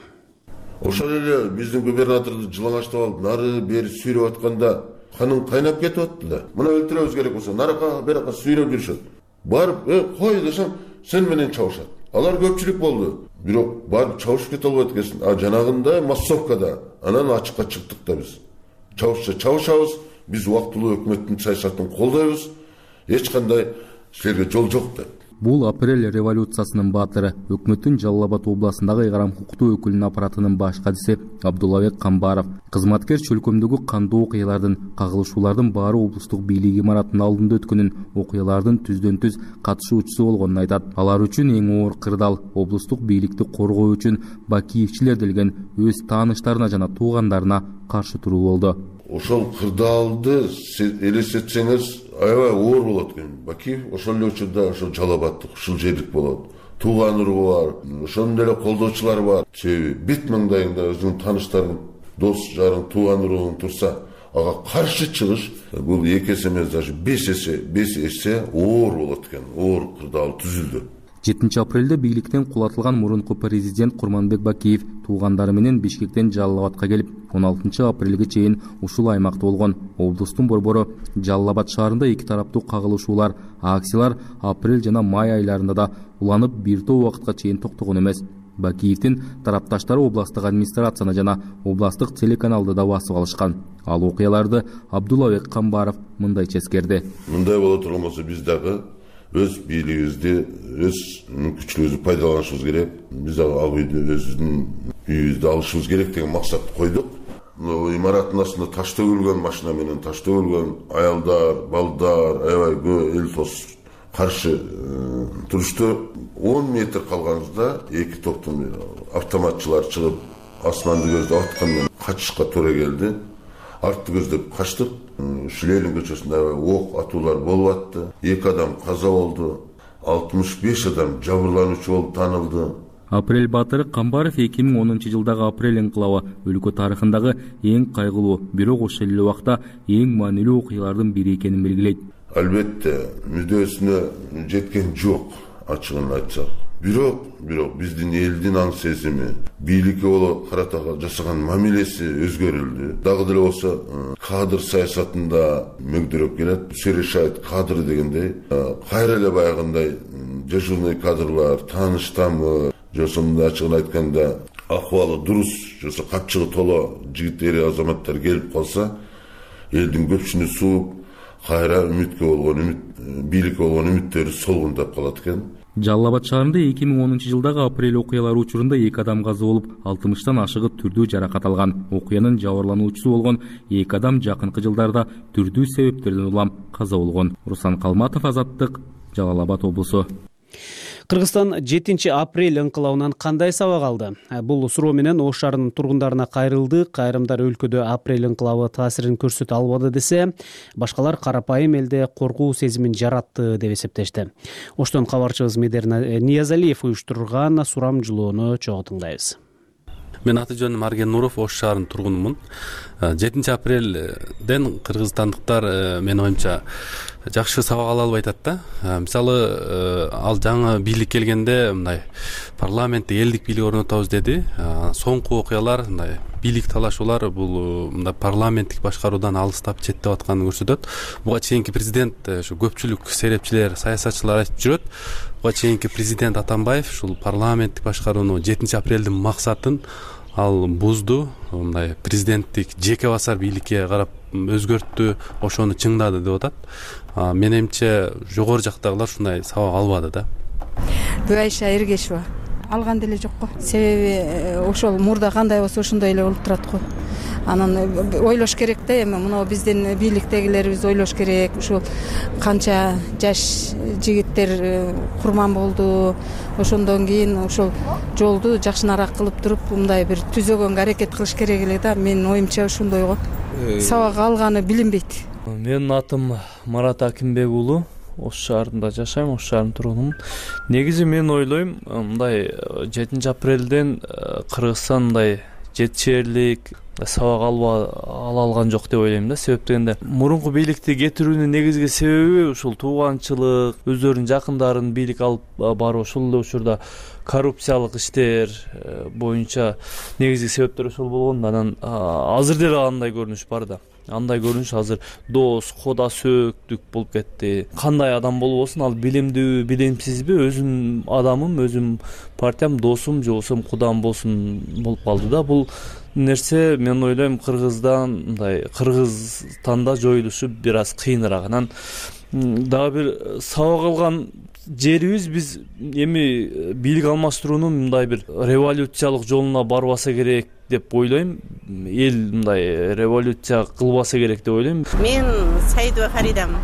Ошол эле биздин губернаторду жылаңачтап алып, нары бери сүйрөп атканда каның кайнап кетип атты да. Мына өлтүрөбүз керек болсо, наракка беракка сүйрөп жүрүшөт. Барып, э, кой десем, сен менен чабышат. Алар көпчүлүк болду. Бирок барып чабышып кете албайт экенсиң. А жанагында массовкада анан ачыкка чыктык да биз. Чабышса чабышабыз, биз убактылуу өкмөттүн саясатын колдойбуз. Эч кандай силерге жол жок деп. Бул апрель революциясынын баатыры, өкмөттүн Жалал Абад областындагы ыйгарым укуктуу өкүлүнүн аппаратынын баш катчысы Абдуллабек Камбаров. Кызматкер чөлкөмдөгү кандуу окуялардын, кагылышуулардын баары облустук бийлик имаратынын алдында өткөнүн, окуялардын түздөн түз катышуучусу болгонун айтат. Алар үчүн эң оор кырдаал облустук бийликти коргоо үчүн Бакиевчилер делген өз тааныштарына жана туугандарына каршы туруу болду. Ошол кырдаалды элестетсеңиз аябай оор болот экен. Бакиев ошол эле учурда ошол Жалал Абадтык, ушул жерлик болот. Тууган уру бар, ошондой эле колдоочулар бар. Себеби бет маңдайыңда өзүңүн тааныштарың, дос жарың, тууган уруң турса, ага каршы чыгыш бул эки эсе эмес, даже беш эсе, беш эсе оор болот экен. Оор кырдаал түзүлдү. жетинчи апрелде бийликтен кулатылган мурунку президент Курманбек Бакиев туугандары менен Бишкектен Жалал Абадка келип, он алтынчы апрелге чейин ушул аймакта болгон. Облустун борбору Жалал Абад шаарында эки тараптуу кагылышуулар, акциялар апрель жана май айларында да уланып бир топ убакытка чейин токтогон эмес. Бакиевдин тарапташтары областтык администрацияны жана областтык телеканалды да басып алышкан. Ал окуяларды Абдуллабек Камбаров мындайча эскерди. Мындай боло турган болсо биз дагы өз бийлигибизди, өз мүмкүнчүлүгүбүздү пайдаланышыбыз керек. Биз ал үйдү өзүбүздүн үйүбүздү алышыбыз керек деген максатты койдук. Имараттын астында таш төгүлгөн, машина менен таш төгүлгөн, аялдар, балдар, аябай көп эл тос каршы турушту. он метр калганыбызда эки топтун автоматчылар чыгып асманды көздөп аткандан качышка туура келди. Артты көздөп качтык. Ленин көчөсүндө ок атуулар болуп атты. эки адам каза болду. алтымыш беш адам жабырлануучу болуп таанылды. Апрель Батыры Камбаров эки миң онунчу жылдагы апрель инкылабы өлкө тарыхындагы эң кайгылуу, бирок ошол эле убакта эң маанилүү окуялардын бири экенин белгилейт. Албетте мүдөөсүнө жеткен жок, ачыгын айтсак. Бирок, бирок биздин элдин аң сезими, бийликке боло карата жасаган мамилеси өзгөрүлдү. Дагы деле болсо кадр саясатында мөгдөрөп келет. Все решает кадры дегендей. Кайра эле баягындай дежурный кадрлар, тааныш тамыр, жосомунда ачыгын айтканда акыбалы дурус, жосо капчыгы толо жигит эри азаматтар келип калса, элдин көпчүнү сууп, кайра үмүткө болгон үмүт, бийликке болгон үмүттөрү солгундап калат экен. Жалал Абад шаарында эки миң онунчу жылдагы апрель окуялары учурунда эки адам каза болуп, алтымыштан ашыгы түрдүү жаракат алган. Окуянын жабырлануучусу болгон эки адам жакынкы жылдарда түрдүү себептерден улам каза болгон. Руслан Калматов, Азаттык, Жалал Абад облусу. Кыргызстан жетинчи апрель инкылабынан кандай сабак алды? Бул суроо менен Ош шаарынын тургундарына кайрылды. Кайрымдар өлкөдө апрель инкылабы таасирин көрсөтө албады десе, башкалар карапайым элде коркуу сезимин жаратты деп эсептешти. Оштон кабарчыбыз Медер Ниязалиев уюштурган сурамжылоону чогуу тыңдайбыз. Мен аты жөнүм Арген Нуров, Ош шаарынын тургунумун. жетинчи апрелден кыргызстандыктар менин оюмча жакшы сабак ала албай атат да. Мисалы, ал жаңы бийлик келгенде мындай парламентте элдик бийлик орнотобуз деди. Соңку окуялар мындай бийлик талашуулар бул мындай парламенттик башкаруудан алыстап четтеп атканын көрсөтөт. Буга чейинки президент ушу көпчүлүк серепчилер, саясатчылар айтып жүрөт. Буга чейинки президент Атамбаев ушул парламенттик башкарууну жетинчи апрелдин максатын ал бузду, мындай президенттик жеке басар бийликке карап өзгөрттү, ошону чыңдады деп атат. Менимче жогору жактагылар ушундай сабак албады да. Айша Эргешева алган деле жок го. Себеби ошол мурда кандай болсо ошондой эле болуп турат го. Анан ойлош керек да, эми мына биздин бийликтегилерибиз ойлош керек. Ушул канча жаш жигиттер курман болду. Ошондон кийин ошол жолду жакшынараак кылып туруп, мындай бир түзөгөнгө аракет кылыш керек эле да. Менин оюмча ошондой го. Сабак алганы билинбейт. Менин атым Марат Акимбек уулу. Ош шаарында жашайм, Ош шаарынын тургунумун. Негизи мен ойлойм, мындай жетинчи апрелден Кыргызстан мындай жетишээрлик сабак ала алган жок деп ойлойм да. Себеп дегенде мурунку бийликти кетирүүнүн негизги себеби ушул тууганчылык, өздөрүнүн жакындарын бийлик алып баруу, ошол эле учурда коррупциялык иштер боюнча негизги себептер ошол болгон. Анан азыр деле андай көрүнүш бар да. Андай көрүнүш азыр дос, кода сөөктүк болуп кетти. Кандай адам болбосун, ал билимдүү, билимсизби, өзүм адамым, өзүм партиям, досум же болбосо кудам болсун болуп калды да. Бул нерсе мен ойлойм Кыргыздан, мындай Кыргызстанда жоюлушу бир аз кыйыныраак. Анан дагы бир сабак алган жерибиз биз эми бийлик алмаштыруунун мындай бир революциялык жолуна барбаса керек деп ойлойм. Эл мындай революция кылбаса керек деп ойлойм. Мен Саидова Харидамын.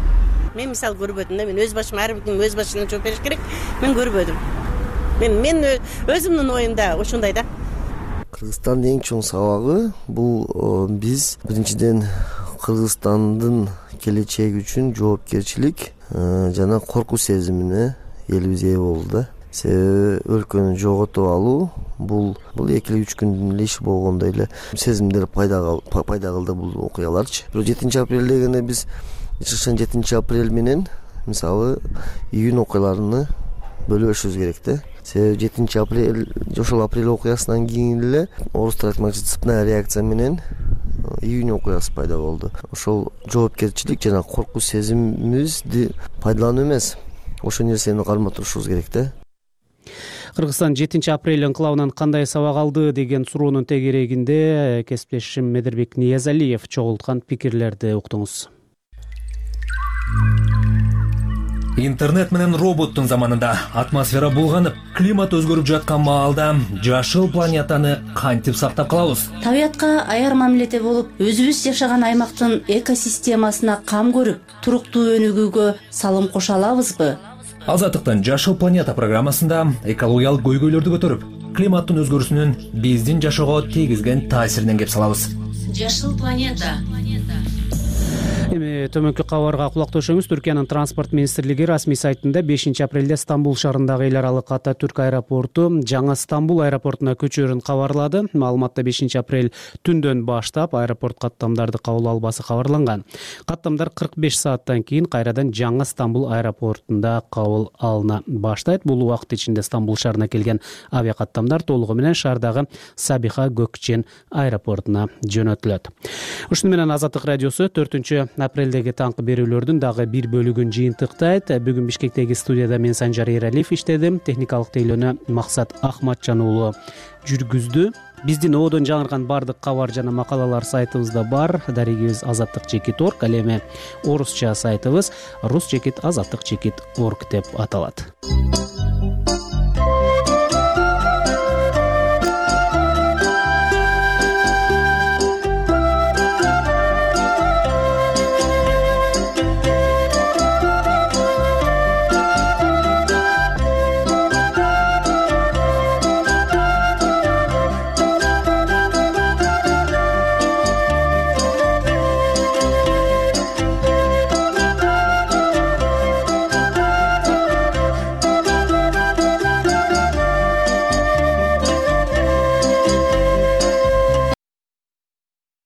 Мен мисал көрбөдүм да. Мен өз башыма, ар бирдин өз башына жооп бериш керек. Мен көрбөдүм. Мен мен өзүмдүн оюмда ошондой да. Кыргызстандын эң чоң сабагы бул биз биринчиден Кыргызстандын келечеги үчүн жоопкерчилик жана коркуу сезимине элибиз ээ болду да. Себеби өлкөнү жоготуп алуу бул бул эки эле үч күндүн эле иши болгондой эле сезимдер пайда пайда кылды бул окуяларчы. Бирок жетинчи апрель дегенде биз жетинчи апрель менен мисалы июнь окуяларыны бөлүшүбүз керек да. Себеби жетинчи апрель ошол апрель окуясынан кийин эле орустар айтмакчы цепная реакция менен июнь окуясы пайда болду. Ошол жоопкерчилик жана коркуу сезимибизди пайдалануу эмес, ошол нерсени кармап турушубуз керек да. Кыргызстан жетинчи апрель инкылабынан кандай сабак алды деген суроонун тегерегинде кесиптешим Медербек Ниязалиев чогулткан пикирлерди уктуңуз. Интернет менен роботтун заманында атмосфера булганып, климат өзгөрүп жаткан маалда жашыл планетаны кантип сактап калабыз? Табиятка аяр мамиледе болуп, өзүбүз жашаган аймактын экосистемасына кам көрүп, туруктуу өнүгүүгө салым кошо алабызбы? Азаттыктын Жашыл планета программасында экологиялык көйгөйлөрдү көтөрүп, климаттын өзгөрүүсүнүн биздин жашоого тийгизген таасиринен кеп салабыз. Жашыл планета. Эми төмөнкү кабарга кулак төшөңүз. Түркиянын транспорт министрлиги расмий сайтында бешинчи апрелде Стамбул шаарындагы эл аралык Ататүрк аэропорту жаңы Стамбул аэропортуна көчөрүн кабарлады. Маалыматта бешинчи апрель түндөн баштап аэропорт каттамдарды кабыл албасы кабарланган. Каттамдар кырк беш сааттан кийин кайрадан жаңы Стамбул аэропортунда кабыл алына баштайт. Бул убакыт ичинде Стамбул шаарына келген авиакаттамдар толугу менен шаардагы Сабиха Gökçen аэропортуна жөнөтүлөт. Ушуну менен Азаттык радиосу төртүнчү апрелдеги таңкы берүүлөрдүн дагы бир бөлүгүн жыйынтыктайт. Бүгүн Бишкектеги студияда мен Санжар Эралиев иштедим. Техникалык тейлөөнү Максат Ахматжан уулу жүргүздү. Биздин оодон жаңырган бардык кабар жана макалалар сайтыбызда бар. Дарегибиз азаттык чекит орг, ал эми орусча сайтыбыз рус чекит азаттык чекит орг деп аталат.